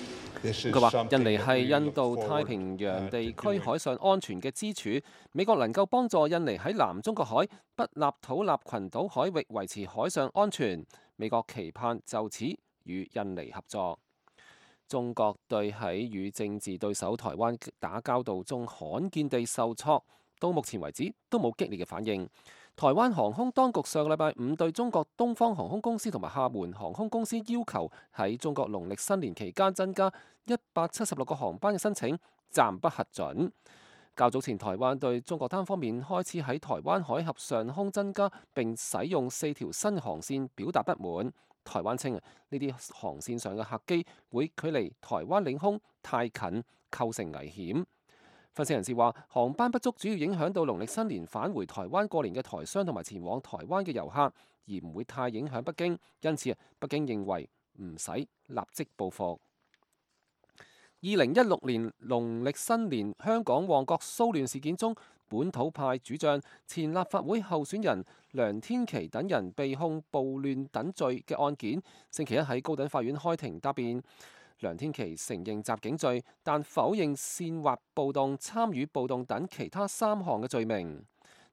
佢話：印尼係印度太平洋地區海上安全嘅支柱，美國能夠幫助印尼喺南中國海不立土納群島海域維持海上安全。美國期盼就此與印尼合作。中國對喺與政治對手台灣打交道中罕見地受挫，到目前為止都冇激烈嘅反應。台灣航空當局上個禮拜五對中國東方航空公司同埋廈門航空公司要求喺中國農曆新年期間增加176個航班嘅申請暫不核准。較早前，台灣對中國單方面開始喺台灣海峽上空增加並使用4條新航線表達不滿。台灣稱呢啲航線上嘅客機會距離台灣領空太近，構成危險。分析人士話，航班不足主要影響到農曆新年返回台灣過年嘅台商同埋前往台灣嘅遊客，而唔會太影響北京。因此，北京認為唔使立即報復。2016年農曆新年香港旺角騷亂事件中，本土派主將、前立法會候選人梁天琦等人被控暴亂等罪嘅案件，星期一喺高等法院開庭答辯。梁天琦承認襲警罪，但否認煽惑暴動、參與暴動等其他3項嘅罪名。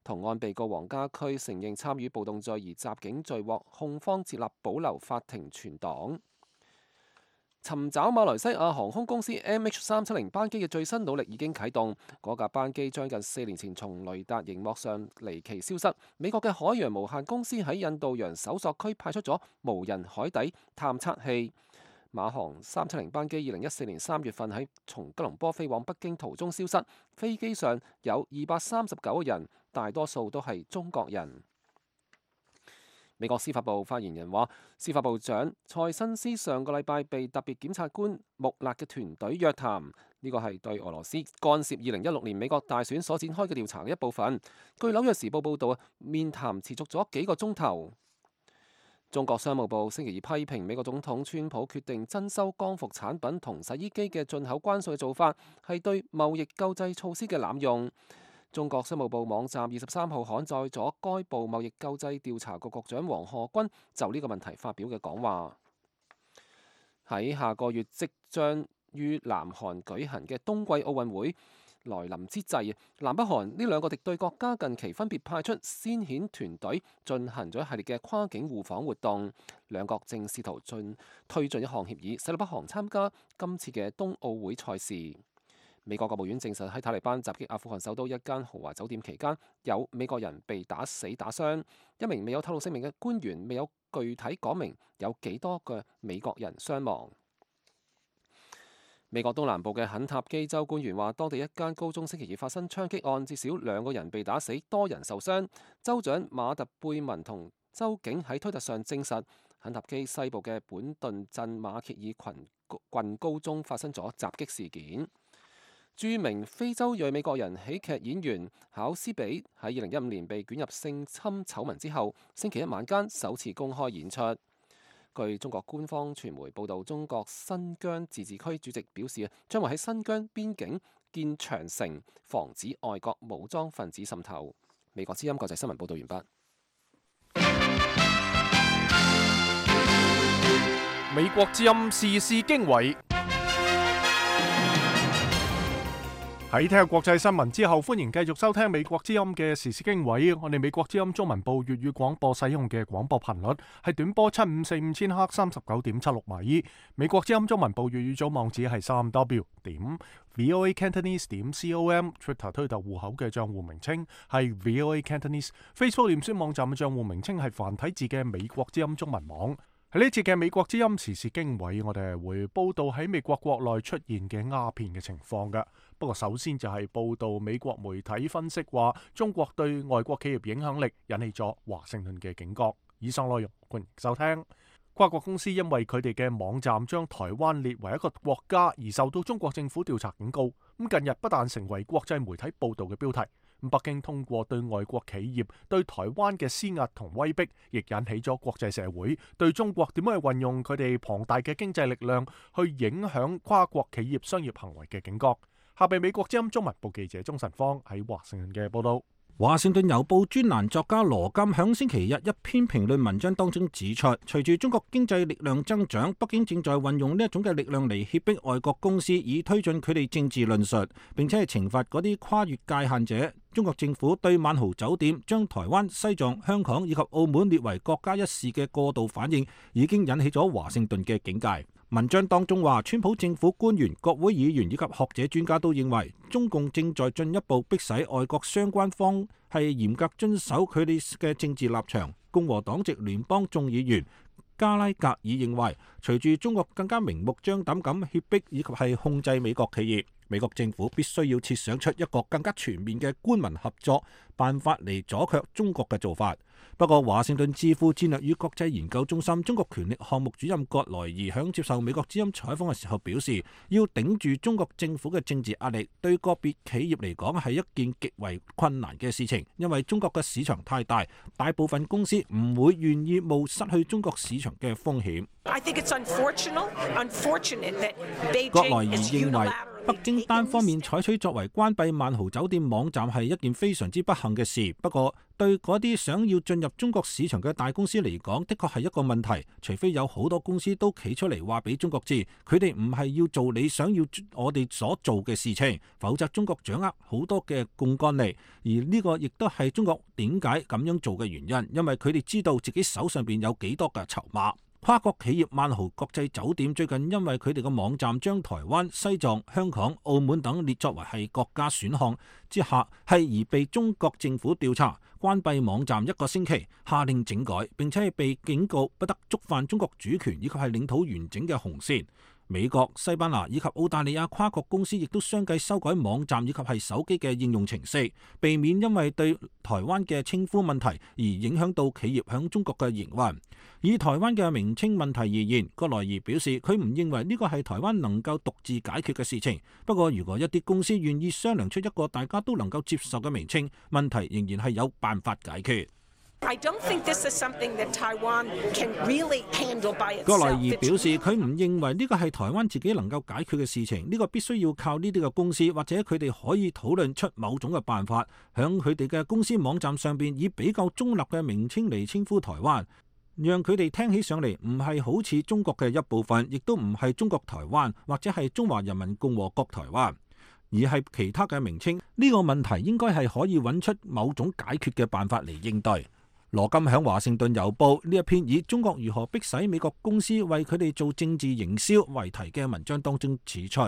同案被告黃家駒承認參與暴動罪，而襲警罪獲控方接納保留法庭存檔。尋找馬來西亞航空公司 MH370 班機嘅最新努力已經啟動。嗰架班機將近4年前從雷達熒幕上離奇消失。美國嘅海洋無限公司喺印度洋搜索區派出咗無人海底探測器。馬航370班機2014年3月份喺從吉隆坡飛往北京途中消失，飛機上有239個人，大多數都係中國人。美國司法部發言人話，司法部長蔡新斯上個禮拜被特別檢察官穆勒嘅團隊約談，呢個係對俄羅斯干涉2016年美國大選所展開嘅調查嘅一部分。據紐約時報報導，面談持續咗幾個鐘頭。中國商務部星期二批評美國總統川普決定徵收光伏產品同洗衣機嘅進口關稅嘅做法，係對貿易救濟措施嘅濫用。中國商務部網站23號刊載咗該部貿易救濟調查局局長王賀軍就呢個問題發表嘅講話。喺下個月即將於南韓舉行嘅冬季奧運會來臨之際，南北韓呢兩個敵對國家近期分別派出先遣團隊進行咗一系列嘅跨境互訪活動，兩國正試圖推進一項協議，使到北韓參加今次嘅冬奧會賽事。美國國務院證實喺塔利班襲擊阿富汗首都一間豪華酒店期間，有美國人被打死打傷。一名未有透露姓名嘅官員未有具體講明有幾多個美國人傷亡。美國東南部嘅肯塔基州官員話，當地一間高中星期二發生槍擊案，至少2個人被打死，多人受傷。州長馬特貝文同州警喺推特上證實，肯塔基西部嘅本頓鎮馬歇爾郡高中發生咗襲擊事件。著名非洲裔美國人喜劇演員考斯比喺2015年被捲入性侵醜聞之後，星期一晚間首次公開演出。據中國官方傳媒報導，中國新疆自治區主席表示，將會喺新疆邊境建長城，防止外國武裝分子滲透。美國之音國際新聞報導完畢。
美國之音時事經緯。喺聽下國際新聞之後，歡迎繼續收聽美國之音嘅時事經緯。我哋美國之音中文部粵語廣播使用嘅廣播頻率係短波7545千赫39.76米。美國之音中文部粵語組網址係3w.voacantonese.com。Twitter 推特戶口嘅賬戶名稱係 VOA Cantonese。Facebook 臉書網站嘅賬戶名稱係繁體字嘅美國之音中文網。喺呢次嘅美國之音時事經緯，我哋係會報道喺美國國內出現嘅鴉片嘅情況㗎。不過首先就係報道美國媒體分析話，中國對外國企業影響力引起咗華盛頓嘅警覺。以上內容歡迎收聽。跨國公司因為佢哋嘅網站將台灣列為一個國家而受到中國政府調查警告。咁近日不但成為國際媒體報道嘅標題，北京通過對外國企業對台灣嘅施壓同威逼，亦引起咗國際社會對中國點樣去運用佢哋龐大嘅經濟力量去影響跨國企業商業行為嘅警覺。下邊美國之音中文部記者鍾晨芳喺華盛頓嘅報道。
華盛頓郵報專欄作家羅金響星期日一篇評論文章當中指出，隨住中國經濟力量增長，北京正在運用呢一種嘅力量嚟脅迫外國公司，以推進佢哋政治論述，並且係懲罰嗰啲跨越界限者。中國政府對萬豪酒店將台灣、西藏、香港以及澳門列為國家一事嘅過度反應，已經引起咗華盛頓嘅警戒。文章當中話，川普政府官員、國會議員以及學者專家都認為，中共正在進一步迫使外國相關方係嚴格遵守佢哋嘅政治立場。共和黨籍聯邦眾議員加拉格爾認為，隨住中國更加明目張膽咁脅迫以及係控制美國企業，美國政府必須要設想出一個更加全面嘅官民合作辦法嚟阻卻中國嘅做法。不過，華盛頓智庫戰略與國際研究中心中國權力項目主任葛萊爾響接受美國之音採訪嘅時候表示，要頂住中國政府嘅政治壓力，對個別企業嚟講係一件極為困難嘅事情，因為中國嘅市場太大，大部分公司唔會願意冒失去中國市場嘅風險。葛萊爾認為，北京單方面採取作為關閉萬豪酒店網站係一件非常之不幸嘅事。不過，對嗰啲想要進入中國市場嘅大公司嚟講，的確係一個問題。除非有好多公司都企出嚟話俾中國知，佢哋唔係要做你想要我哋所做嘅事情，否則中國掌握好多嘅槓桿力。而呢個亦都係中國點解咁樣做嘅原因，因為佢哋知道自己手上邊有幾多嘅籌碼。跨國企業萬豪國際酒店最近因為佢哋嘅網站將台灣、西藏、香港、澳門等列作為係國家選項之下，係而被中國政府調查，關閉網站1個星期，下令整改，並且係被警告不得觸犯中國主權以及係領土完整嘅紅線。美國、西班牙以及澳大利亞跨國公司亦都相繼修改網站以及係手機嘅應用程式，避免因為對台灣嘅稱呼問題而影響到企業響中國嘅營運。以台灣嘅名稱問題而言，葛萊爾表示佢唔認為呢個係台灣能夠獨自解決嘅事情。不過，如果一啲公司願意商量出一個大家都能夠接受嘅名稱，問題仍然係有辦法解決。葛萊爾表示，佢唔認為呢個係台灣自己能夠解決嘅事情，呢個必須要靠呢啲嘅公司或者佢哋可以討論出某種嘅辦法，響佢哋嘅公司網站上邊以比較中立嘅名稱嚟稱呼台灣，讓佢哋聽起上嚟唔係好似中國嘅一部分，亦都唔係中國台灣或者係中華人民共和國台灣，而係其他嘅名稱。呢個問題應該係可以揾出某種解決嘅辦法嚟應對。羅金響華盛頓郵報呢一篇以中國如何迫使美國公司為佢哋做政治營銷為題嘅文章當中指出，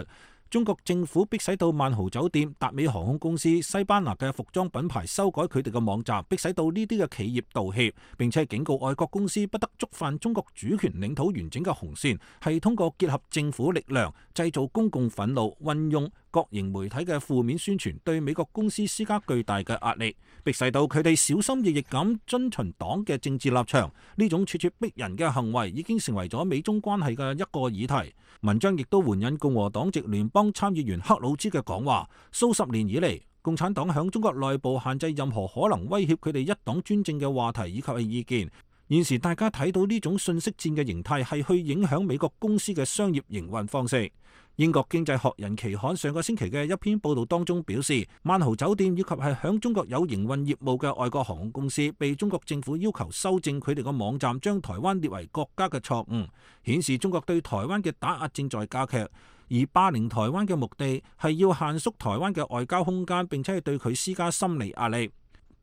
中國政府迫使到萬豪酒店、達美航空公司、西班牙嘅服裝品牌修改佢哋嘅網站，迫使到呢啲嘅企業道歉，並且警告外國公司不得觸犯中國主權領土完整嘅紅線，係通過結合政府力量，製造公共憤怒，運用各型媒體嘅負面宣傳，對美國公司施加巨大嘅壓力，迫使到佢哋小心翼翼咁遵循黨嘅政治立場。呢種咄咄逼人嘅行為已經成為咗美中關係嘅一個議題。文章亦都援引共和黨籍聯邦參議員克魯茲嘅講話，數十年以嚟，共產黨響中國內部限制任何可能威脅佢哋一黨專政嘅話題以及係意見。現時大家睇到呢種信息戰嘅形態係去影響美國公司嘅商業營運方式。英國經濟學人期刊上個星期嘅一篇報道當中表示，萬豪酒店以及係響中國有營運業務嘅外國航空公司被中國政府要求修正佢哋個網站，將台灣列為國家嘅錯誤，顯示中國對台灣嘅打壓正在加劇，而霸凌台灣嘅目的係要限縮台灣嘅外交空間，並且係對佢施加心理壓力。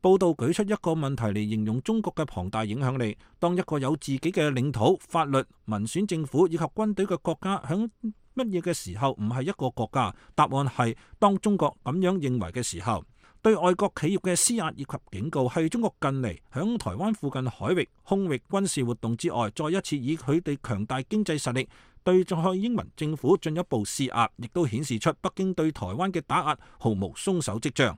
報道舉出一個問題嚟形容中國嘅龐大影響力：當一個有自己嘅領土、法律、民選政府以及軍隊嘅國家響乜嘢嘅時候唔係一個國家？答案係當中國咁樣認為嘅時候。對外國企業嘅施壓以及警告係中國近嚟響台灣附近海域、空域軍事活動之外，再一次以佢哋強大經濟實力對蔡英文政府進一步施壓，亦都顯示出北京對台灣嘅打壓毫無鬆手跡象。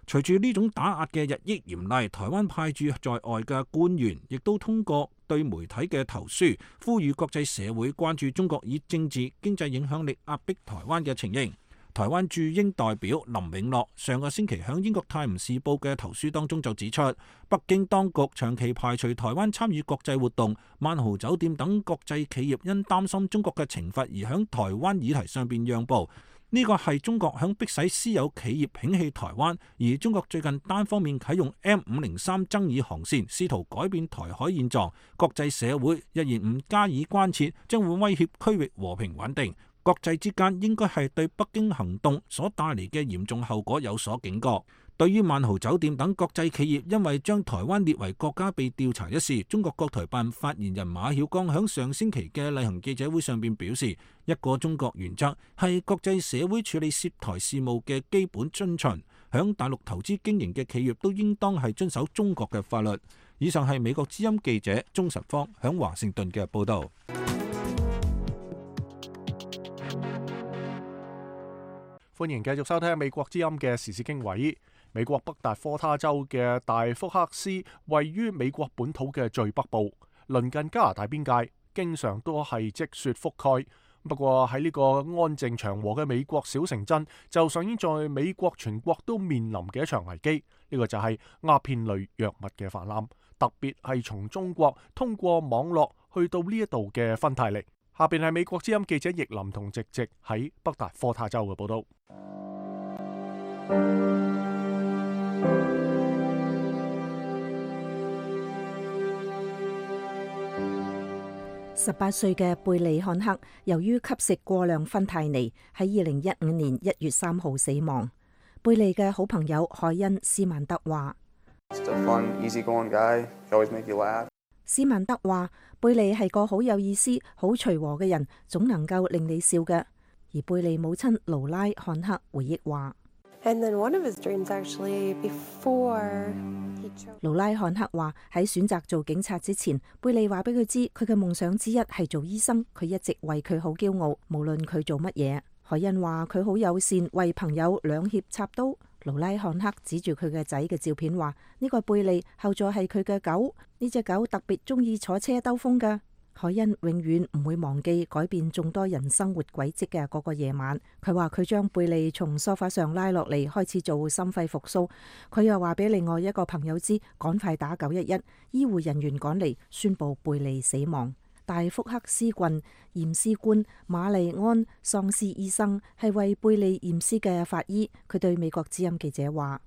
隨住呢種打壓嘅日益嚴厲，台灣派駐在外嘅官員亦都通過對媒體嘅投書，呼籲國際社會關注中國以政治經濟影響力壓迫台灣嘅情形。台灣駐英代表林永樂上個星期響英國泰晤士報嘅投書當中就指出，北京當局長期排除台灣參與國際活動，萬豪酒店等國際企業因擔心中國嘅懲罰而響台灣議題上邊讓步。呢個係中國響迫使私有企業摒棄台灣，而中國最近單方面啟用 M503 爭議航線，試圖改變台海現狀。國際社會若然唔加以關切，將會威脅區域和平穩定。國際之間應該係對北京行動所帶嚟嘅嚴重後果有所警覺。對於萬豪酒店等國際企業因為將台灣列為國家被調查一事，中國國台辦發言人馬曉光響上星期嘅例行記者會上邊表示，一個中國原則係國際社會處理涉台事務嘅基本遵循，響大陸投資經營嘅企業都應當係遵守中國嘅法律。以上係美國之音記者鍾實方響華盛頓嘅報道。
歡迎繼續收聽美國之音嘅時事經緯。美國北達科他州嘅大福克斯位於美國本土嘅最北部，鄰近加拿大邊界，經常都係積雪覆蓋。不過喺呢個安靜祥和嘅美國小城鎮，就上演在美國全國都面臨嘅一場危機。呢個就係鴉片類藥物嘅氾濫，特別係從中國通過網絡去到呢一度嘅芬太尼。下邊係美國之音記者易林同直直喺北達科他州嘅報道。
18歲嘅貝利漢克由於吸食過量芬太尼，喺2015年1月3號死亡。貝利嘅好朋友海恩斯曼德話：斯曼德話，貝利係個好有意思、好隨和嘅人，總能夠令你笑嘅。而貝利母親勞拉漢克回憶話：勞拉漢克話喺選擇做警察之前，貝利話俾佢知佢嘅夢想之一係做醫生，佢一直為佢好驕傲，無論佢做乜嘢。海恩話佢好友善，為朋友兩肋插刀。勞拉漢克指住佢嘅仔嘅照片話：呢個貝利，後座係佢嘅狗，呢隻狗特別中意坐車兜風㗎。海恩永遠唔會忘記改變眾多人生活軌跡嘅嗰個夜晚。佢話佢將貝利從梳化上拉落嚟，開始做心肺復甦。佢又話俾另外一個朋友知，趕快打911。醫護人員趕嚟宣布貝利死亡。大福克斯郡驗屍官瑪麗安喪屍醫生係為貝利驗屍嘅法醫。佢對美國之音記者話：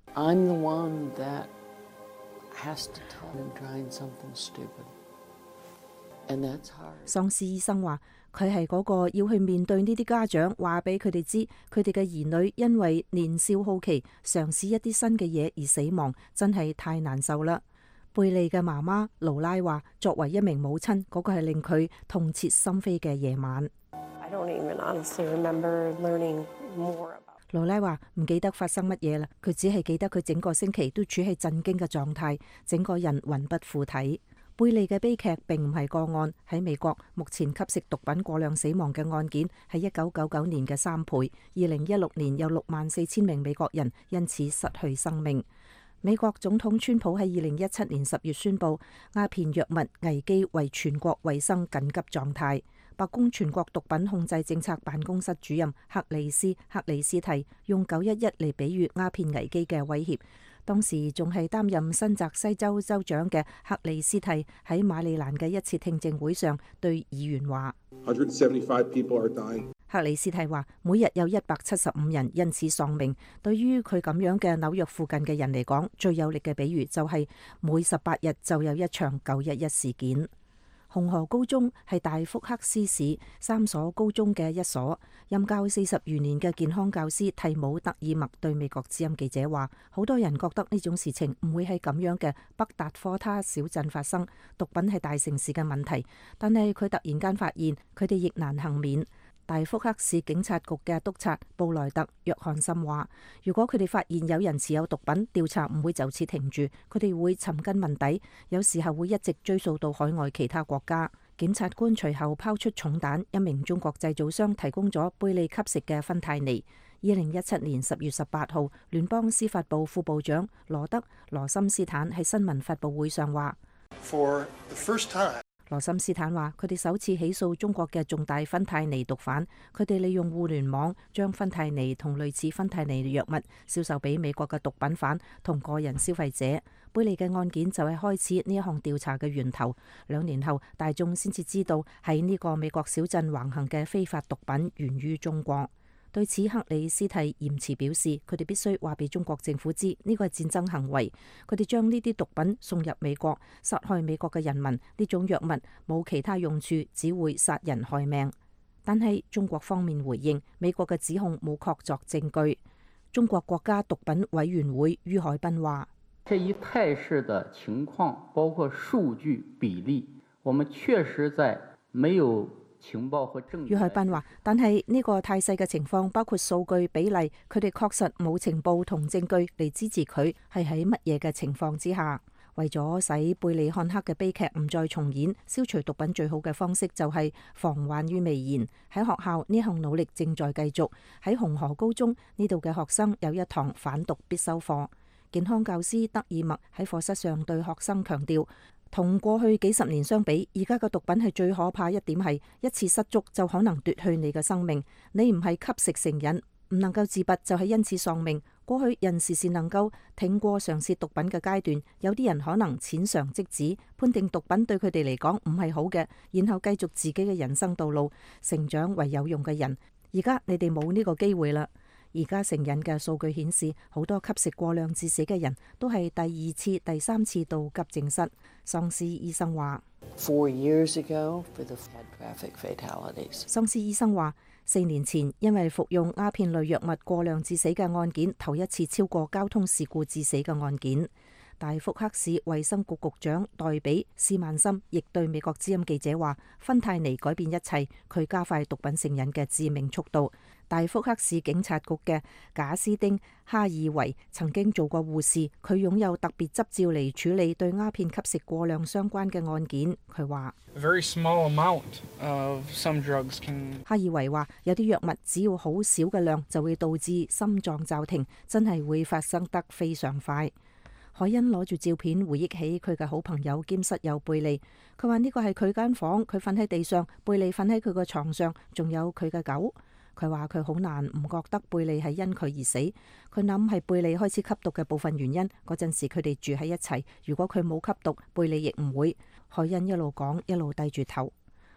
喪屍醫生話佢係嗰個要去面對呢啲家長，話俾佢哋知佢哋嘅兒女因為年少好奇嘗試一啲新嘅嘢而死亡，真係太難受啦。貝利嘅媽媽勞拉話：作為一名母親，嗰個係令佢痛徹心扉嘅夜晚。羅拉話唔記得發生乜嘢啦，佢只係記得佢整個星期都處喺震驚嘅狀態，整個人魂不附體。貝利嘅悲劇並唔係個案，喺美國目前吸食毒品過量死亡嘅案件係1999年嘅3倍，2016年有64,000名美國人因此失去生命。美國總統川普喺2017年10月宣布鴉片藥物危機為全國衛生緊急狀態。白宮全國毒品控制政策辦公室主任克里斯蒂用911嚟比喻鴉片危機嘅威脅。當時仲係擔任新澤西州州長嘅克里斯蒂喺馬里蘭嘅一次聽證會上對議員話
175 people are dying。
克里斯蒂話每日有175人因此喪命。對於佢咁樣嘅紐約附近嘅人嚟講，最有力嘅比喻就係每18日就有一場911事件。紅河高中係大福克斯市3所高中嘅一所，任教40餘年嘅健康教師蒂姆特爾默對美國之音記者話：好多人覺得呢種事情唔會喺咁樣嘅北達科他小鎮發生，毒品係大城市嘅問題，但係佢突然間發現佢哋亦難幸免。大福克市警察局嘅督察布萊特約翰森話：如果佢哋發現有人持有毒品，調查唔會就此停住，佢哋會尋根問底，有時候會一直追溯到海外其他國家。檢察官隨後拋出重彈，一名中國製造商提供咗貝利吸食嘅芬太尼。2017年10月18號，聯邦司法部副部長羅森斯坦喺新聞發佈會上話：羅森斯坦話：佢哋首次起訴中國嘅重大芬太尼毒販，佢哋利用互聯網將芬太尼同類似芬太尼嘅藥物銷售俾美國嘅毒品販同個人消費者。貝利嘅案件就係開始呢一項調查嘅源頭。2年後，大眾先至知道喺呢個美國小鎮橫行嘅非法毒品源於中國。對此，克里斯蒂嚴詞表示，佢哋必須話俾中國政府知，呢個係戰爭行為。佢哋將呢啲毒品送入美國，殺害美國嘅人民。呢種藥物冇其他用處，只會殺人害命。但係中國方面回應，美國嘅指控冇確鑿證據。中國國家毒品委員會于海斌話：
這一態勢的情況，包括數據比例，我們確實在沒有情報和證據。
于海斌話：但係呢個態勢嘅情況，包括數據比例，佢哋確實冇情報同證據嚟支持佢係喺乜嘢嘅情況之下。為咗使貝利漢克嘅悲劇唔再重演，消除毒品最好嘅方式就係防患於未然。喺學校呢項努力正在繼續。喺紅河高中呢度嘅學生有一堂反毒必修課。健康教師德爾默喺課室上對學生強調，同過去幾十年相比，而家嘅毒品係最可怕一點係一次失足就可能奪去你嘅生命。你唔係吸食成癮，唔能夠自拔就係因此喪命。過去人時時能夠挺過嘗試毒品嘅階段，有啲人可能淺嘗即止，判定毒品對佢哋嚟講唔係好嘅，然後繼續自己嘅人生道路，成長為有用嘅人。而家你哋冇呢個機會啦。而家成癮嘅數據顯示，好多吸食過量致死嘅人都係第2次、第3次到急症室。喪屍醫生話
4 years ago for the traffic fatalities。
喪屍醫生話4年前因為服用鴉片類藥物過量致死嘅案件，頭一次超過交通事故致死嘅案件。大福克市衛生局局長代比斯曼森亦對美國之音記者話：芬太尼改變一切，佢加快毒品成癮嘅致命速度。大福克市警察局嘅賈斯丁哈爾維曾經做過護士，佢擁有特別執照嚟處理對鴉片吸食過量相關嘅案件。佢話：哈爾維話有啲藥物只要好少嘅量就會導致心臟驟停，真係會發生得非常快。海恩攞住照片回憶起佢嘅好朋友兼室友貝利，佢話呢個係佢間房，佢瞓喺地上，貝利瞓喺佢個床上，仲有佢嘅狗。佢話佢好難唔覺得貝利係因佢而死，佢諗係貝利開始吸毒嘅部分原因。嗰陣時佢哋住喺一齊，如果佢冇吸毒，貝利亦唔會。海恩一路講一路低住頭。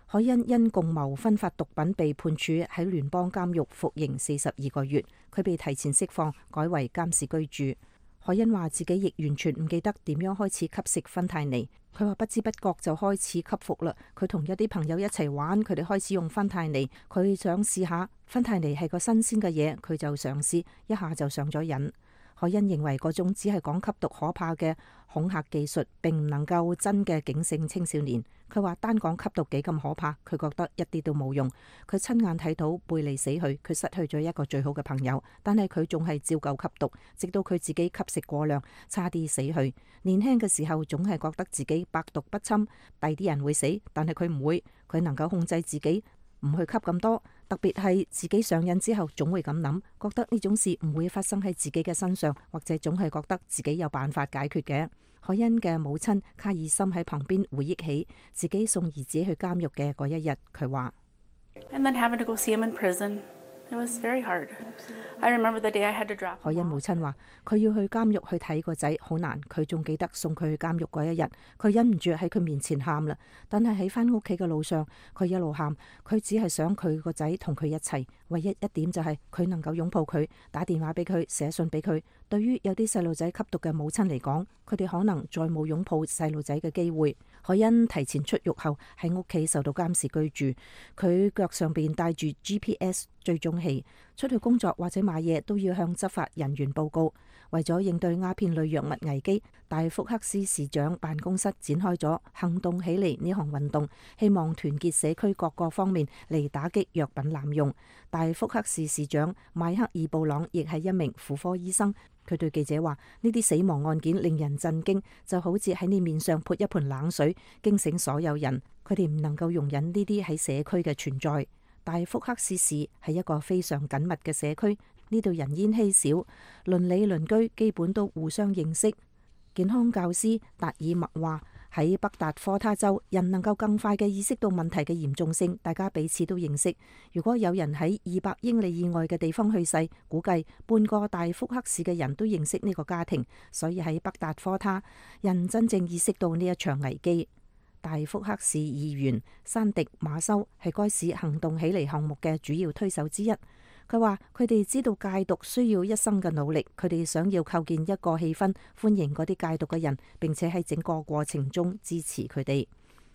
海恩因共謀分發毒品被判處喺聯邦監獄服刑42個月，佢被提前釋放，改為監視居住。海恩話自己亦完全唔記得點樣開始吸食芬太尼。佢話不知不覺就開始吸服啦。佢同一啲朋友一齊玩，佢哋開始用芬太尼。佢想試下芬太尼係個新鮮嘅嘢，佢就嘗試一下就上咗癮。凱恩認為嗰種只係講吸毒可怕嘅恐嚇技術，並唔能夠真嘅警醒青少年。佢話單講吸毒幾咁可怕，佢覺得一啲都冇用。佢親眼睇到貝利死去，佢失去咗一個最好嘅朋友，但係佢仲係照舊吸毒，直到佢自己吸食過量，差啲死去。年輕嘅時候總係覺得自己百毒不侵，第啲人會死，但係佢唔會，佢能夠控制自己唔去吸咁多。特別係自己上癮之後，總會咁諗，覺得呢種事唔會發生喺自己嘅身上，或者總係覺得自己有辦法解決嘅。凱恩嘅母親卡爾森喺旁邊回憶起自己送兒子去監獄嘅嗰一日，佢話凱恩母親話佢要去監獄去睇個仔好難，佢仲記得送佢去監獄嗰一日，佢忍唔住喺佢面前喊啦。但係喺返屋企嘅路上，佢一路喊，佢只係想佢個仔同佢一齊，唯一一點就係佢能夠擁抱佢，打電話俾佢，寫信俾佢。對於有啲細路仔吸毒嘅母親嚟講，佢哋可能再冇擁抱細路仔嘅機會。凱恩提前出獄後喺屋企受到監視居住，佢腳上邊帶住 GPS 追蹤器，出去工作或者買嘢都要向執法人員報告。為咗應對鴉片類藥物危機，大福克斯市長辦公室展開咗行動起嚟呢項運動，希望團結社區各個方面嚟打擊藥品濫用。大福克斯市長邁克爾布朗亦係一名婦科醫生。佢對記者話：呢啲死亡案件令人震驚，就好似喺你面上潑一盆冷水，驚醒所有人。佢哋唔能夠容忍呢啲喺社區嘅存在。大福克斯市係一個非常緊密嘅社區，呢度人煙稀少，鄰里鄰居基本都互相認識。健康教師達爾默話：喺北達科他州，人能夠更快嘅意識到問題嘅嚴重性，大家彼此都認識。如果有人喺200英里以外嘅地方去世，估計半個大福克市嘅人都認識呢個家庭，所以喺北達科他，人真正意識到呢一場危機。大福克市議員山迪馬修係該市行動起嚟項目嘅主要推手之一。佢話：佢哋知道戒毒需要一生嘅努力，佢哋想要構建一個氣氛，歡迎嗰啲戒毒嘅人，並且喺整個過程中支持佢哋。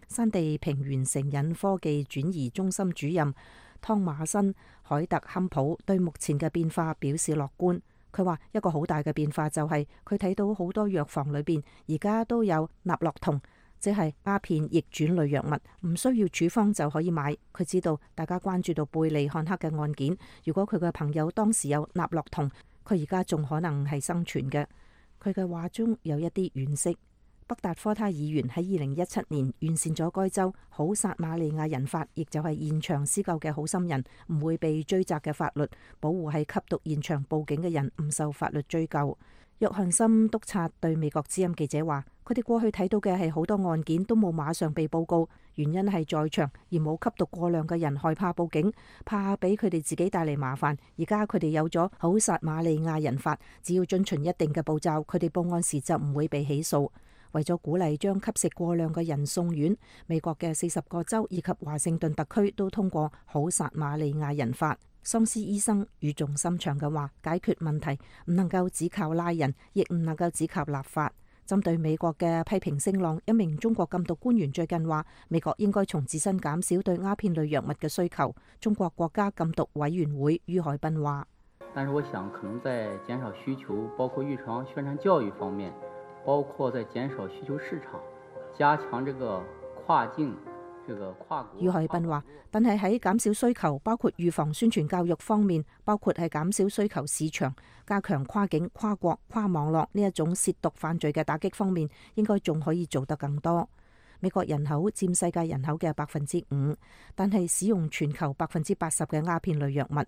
山地平原成癮科技轉移中心主任湯馬森海特坎普對目前嘅變化表示樂觀。佢話一個好大嘅變化就係佢睇到好多藥房裏邊而家都有納洛酮，即係鴉片逆轉類藥物，唔需要處方就可以買。佢知道大家關注到貝利漢克嘅案件，如果佢嘅朋友當時有納洛酮，佢而家仲可能係生存嘅。佢嘅話中有一啲惋惜。北達科他議員喺2017年完善咗該州好撒瑪利亞人法，亦就係現場施救嘅好心人唔會被追責嘅法律，保護喺吸毒現場報警嘅人唔受法律追究。約翰森督察對美國之音記者話：佢哋過去睇到嘅係好多案件都冇馬上被報告，原因係在場而冇吸毒過量嘅人害怕報警，怕俾佢哋自己帶嚟麻煩。而家佢哋有咗好撒瑪利亞人法，只要遵循一定嘅步驟，佢哋報案時就唔會被起訴。為咗鼓勵將吸食過量嘅人送院，美國嘅40個州以及華盛頓特區都通過好撒瑪利亞人法。桑斯醫生語重心長嘅話：解決問題唔能夠只靠拉人，亦唔能夠只靠立法。針對美國嘅批評聲浪，一名中國禁毒官員最近話：美國應該從自身減少對鴉片類藥物嘅需求。中國國家禁毒委員會于海斌話：
但是我想可能在減少需求，包括預防宣傳教育方面，包括在減少需求市場，加強這個跨境。
于海斌話：但係喺減少需求，包括預防宣傳教育方面，包括係減少需求市場，加強跨境、跨國、跨網絡呢一種涉毒犯罪嘅打擊方面，應該仲可以做得更多。美國人口佔世界人口嘅5%，但係使用全球80%嘅鴉片類藥物，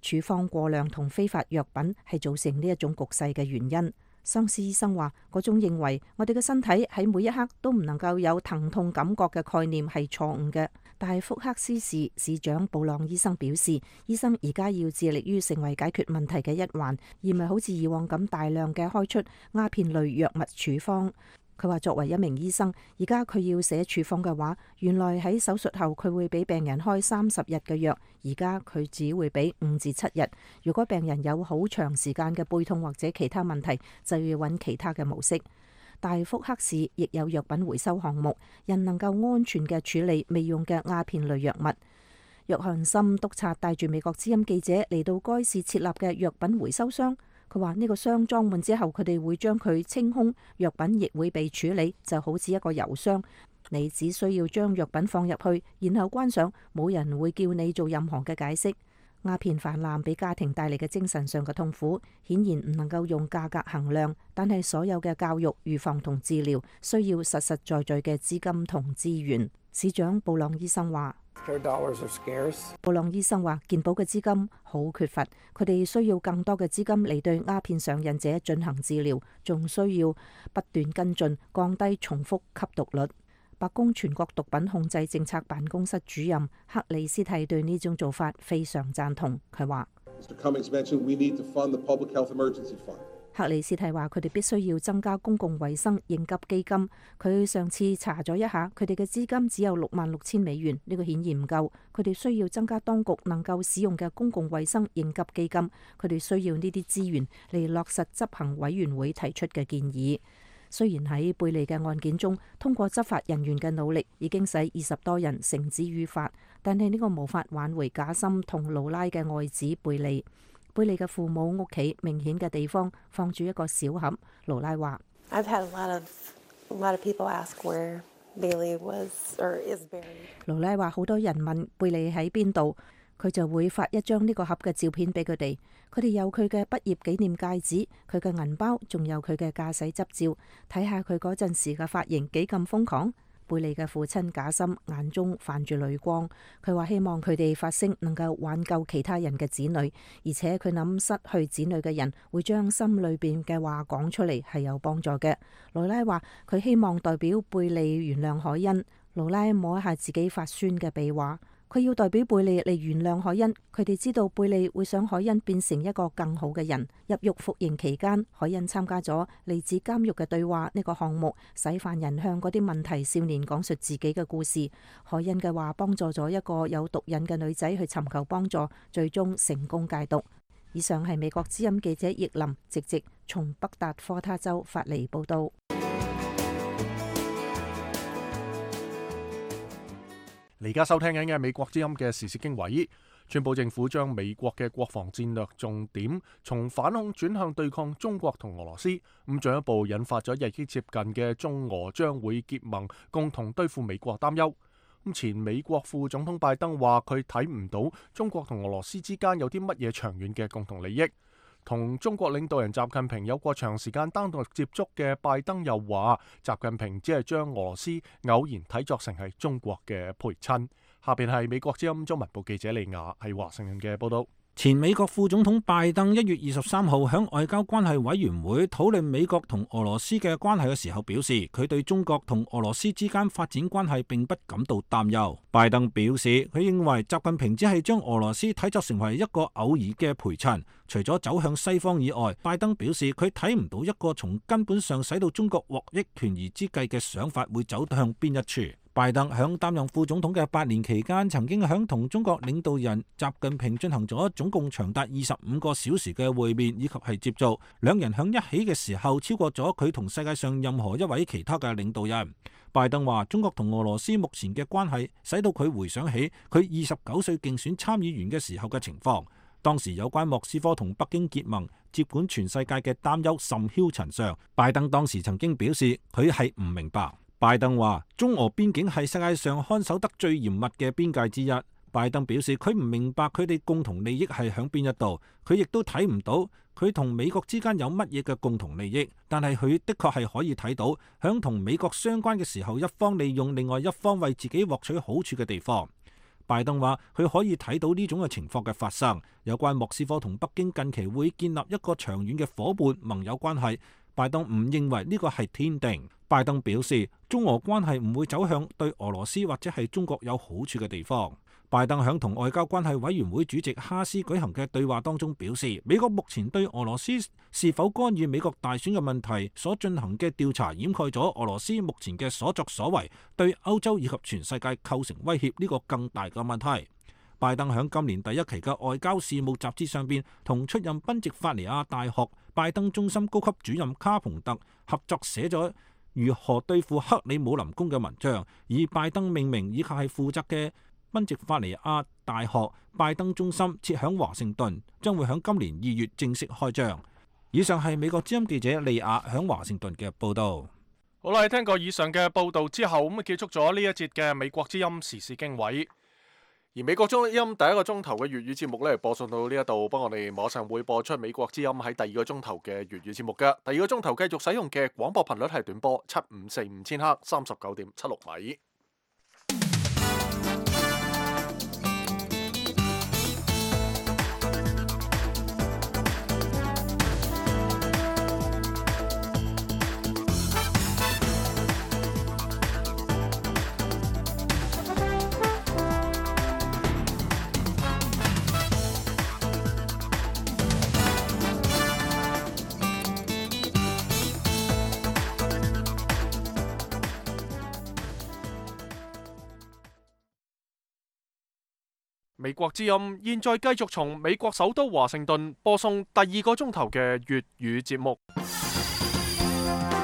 處方過量同非法藥品係造成呢一種局勢嘅原因。桑斯醫生話：嗰種認為我哋嘅身體喺每一刻都唔能夠有疼痛感覺嘅概念係錯誤嘅。大福克斯市市長布朗醫生表示，醫生而家要致力於成為解決問題嘅一環，而唔係好似以往咁大量嘅開出鴉片類藥物處方。佢話作為一名醫生，而家佢要寫處方嘅話，原來喺手術後佢會俾病人開30日嘅藥，而家佢只會俾5至7日。如果病人有好長時間嘅背痛或者其他問題，就要揾其他嘅模式。大福克市亦有藥品回收項目，人能夠安全嘅處理未用嘅鴉片類藥物。約翰森督察帶住美國之音記者嚟到該市設立嘅藥品回收箱。佢話呢個箱裝滿之後，佢哋會將佢清空，藥品亦會被處理，就好似一個郵箱。你只需要將藥品放入去，然後關上，冇人會叫你做任何嘅解釋。鴉片泛濫俾家庭帶嚟嘅精神上嘅痛苦，顯然唔能夠用價格衡量。但係所有嘅教育、預防同治療需要實實在在嘅資金同資源。市長布朗醫生話：布朗醫生話，健保嘅資金好缺乏，佢哋需要更多嘅資金嚟對鴉片上癮者進行治療，仲需要不斷跟進，降低重複吸毒率。白宮全國毒品控制政策辦公室主任克里斯蒂對呢種做法非常贊同。佢話：克里斯蒂話佢哋必須要增加公共衛生應急基金。佢上次查咗一下，佢哋嘅資金只有$66,000，呢個顯然唔夠。佢哋需要增加當局能夠使用嘅公共衛生應急基金。佢哋需要呢啲資源嚟落實執行委員會提出嘅建議。雖然喺貝利嘅案件中，通過執法人員嘅努力已經使20多人繩之於法，但係呢個無法挽回賈森同勞拉嘅愛子貝利。貝利嘅父母屋企明顯嘅地方放住一個小盒。勞拉話：I've had a lot of people ask where Bailey was or is buried。勞拉話好多人問貝利喺邊度，佢就會發一張呢個盒嘅照片俾佢哋。佢哋有佢嘅畢業紀念戒指、佢嘅銀包，仲有佢嘅駕駛執照。睇下佢嗰陣時嘅髮型幾咁瘋狂。貝利嘅父親賈森眼中泛住淚光，佢話希望佢哋發聲能夠挽救其他人嘅子女，而且佢諗失去子女嘅人會將心裏邊嘅話講出嚟係有幫助嘅。勞拉話佢希望代表貝利原諒凱恩。勞拉摸一下自己發酸嘅鼻話，佢要代表貝利嚟原諒凱恩。佢哋知道貝利會想凱恩變成一個更好嘅人。入獄服刑期間，凱恩參加咗嚟自監獄嘅對話呢個項目，使犯人向嗰啲問題少年講述自己嘅故事。凱恩嘅話幫助咗一個有毒癮嘅女仔去尋求幫助，最終成功戒毒。以上係美國之音記者葉林直直從北達科他州發嚟報道。
而家收聽緊嘅美國之音嘅時事經緯，川普政府將美國嘅國防戰略重點從反恐轉向對抗中國同俄羅斯，咁進一步引發咗日益接近嘅中俄將會結盟，共同對付美國擔憂。咁前美國副總統拜登話佢睇唔到中國同俄羅斯之間有啲乜嘢長遠嘅共同利益。同中國領導人習近平有過長時間單獨接觸嘅拜登又話，習近平只係將俄羅斯偶然睇作成係中國嘅陪親。下邊係美國之音中文部記者利亞喺華盛頓嘅報道。
前美國副總統拜登1月23號喺外交關係委員會討論美國同俄羅斯嘅關係嘅時候表示，佢對中國同俄羅斯之間發展關係並不感到擔憂。拜登表示，佢認為習近平只係將俄羅斯睇作成為一個偶爾嘅陪襯。除咗走向西方以外，拜登表示佢睇唔到一個從根本上使到中國獲益權宜之計嘅想法會走向邊一處。拜登響擔任副總統嘅8年期間，曾經響同中國領導人習近平進行咗總共長達25個小時嘅會面以及係接觸，兩人響一起嘅時候超過咗佢同世界上任何一位其他嘅領導人。拜登話中國同俄羅斯目前嘅關係使到佢回想起佢29歲競選參議員嘅時候嘅情況，當時有關莫斯科同北京結盟接管全世界嘅擔憂甚囂塵上。拜登當時曾經表示佢係唔明白。拜登話中俄邊境係世界上看守得最嚴密嘅邊界之一。拜登表示佢唔明白佢哋共同利益係響邊一度，佢亦都睇唔到佢同美國之間有乜嘢嘅共同利益，但係佢的確係可以睇到響同美國相關嘅時候，一方利用另外一方為自己獲取好處嘅地方。拜登話佢可以睇到呢種嘅情況嘅發生。有關莫斯科同北京近期會建立一個長遠嘅夥伴盟友關係，拜登唔認為呢個係天定。拜登表示中俄關係唔會走向對俄羅斯或者係中國有好處嘅地方。拜登響同外交關係委員會主席哈斯舉行嘅對話當中表示，美國目前對俄羅斯是否干預美國大選嘅問題所進行嘅調查，掩蓋咗俄羅斯目前嘅所作所為對歐洲以及全世界構成威脅呢個更大嘅問題。拜登響今年第一期嘅外交事務雜誌上邊同出任賓夕法尼亞大學拜登中心高級主任卡蓬特合作寫咗如何對付克里姆林宮嘅文章，以拜登命名以及係負責嘅賓夕法尼亞大學拜登中心設響華盛頓，將會響今年2月正式開張。以上係美國之音記者利亞響華盛頓嘅報道。
好啦，聽過以上嘅報道之後，咁結束咗呢一節嘅美國之音時事經緯。而美國之音第一個鐘頭嘅粵語節目呢，播送到呢一度，不過我哋馬上會播出美國之音喺第二個鐘頭嘅粵語節目嘅。第二個鐘頭繼續使用嘅廣播頻率係短波7545千赫39.76米。美國之音現在繼續從美國首都華盛頓播送第二個鐘頭嘅粵語節目。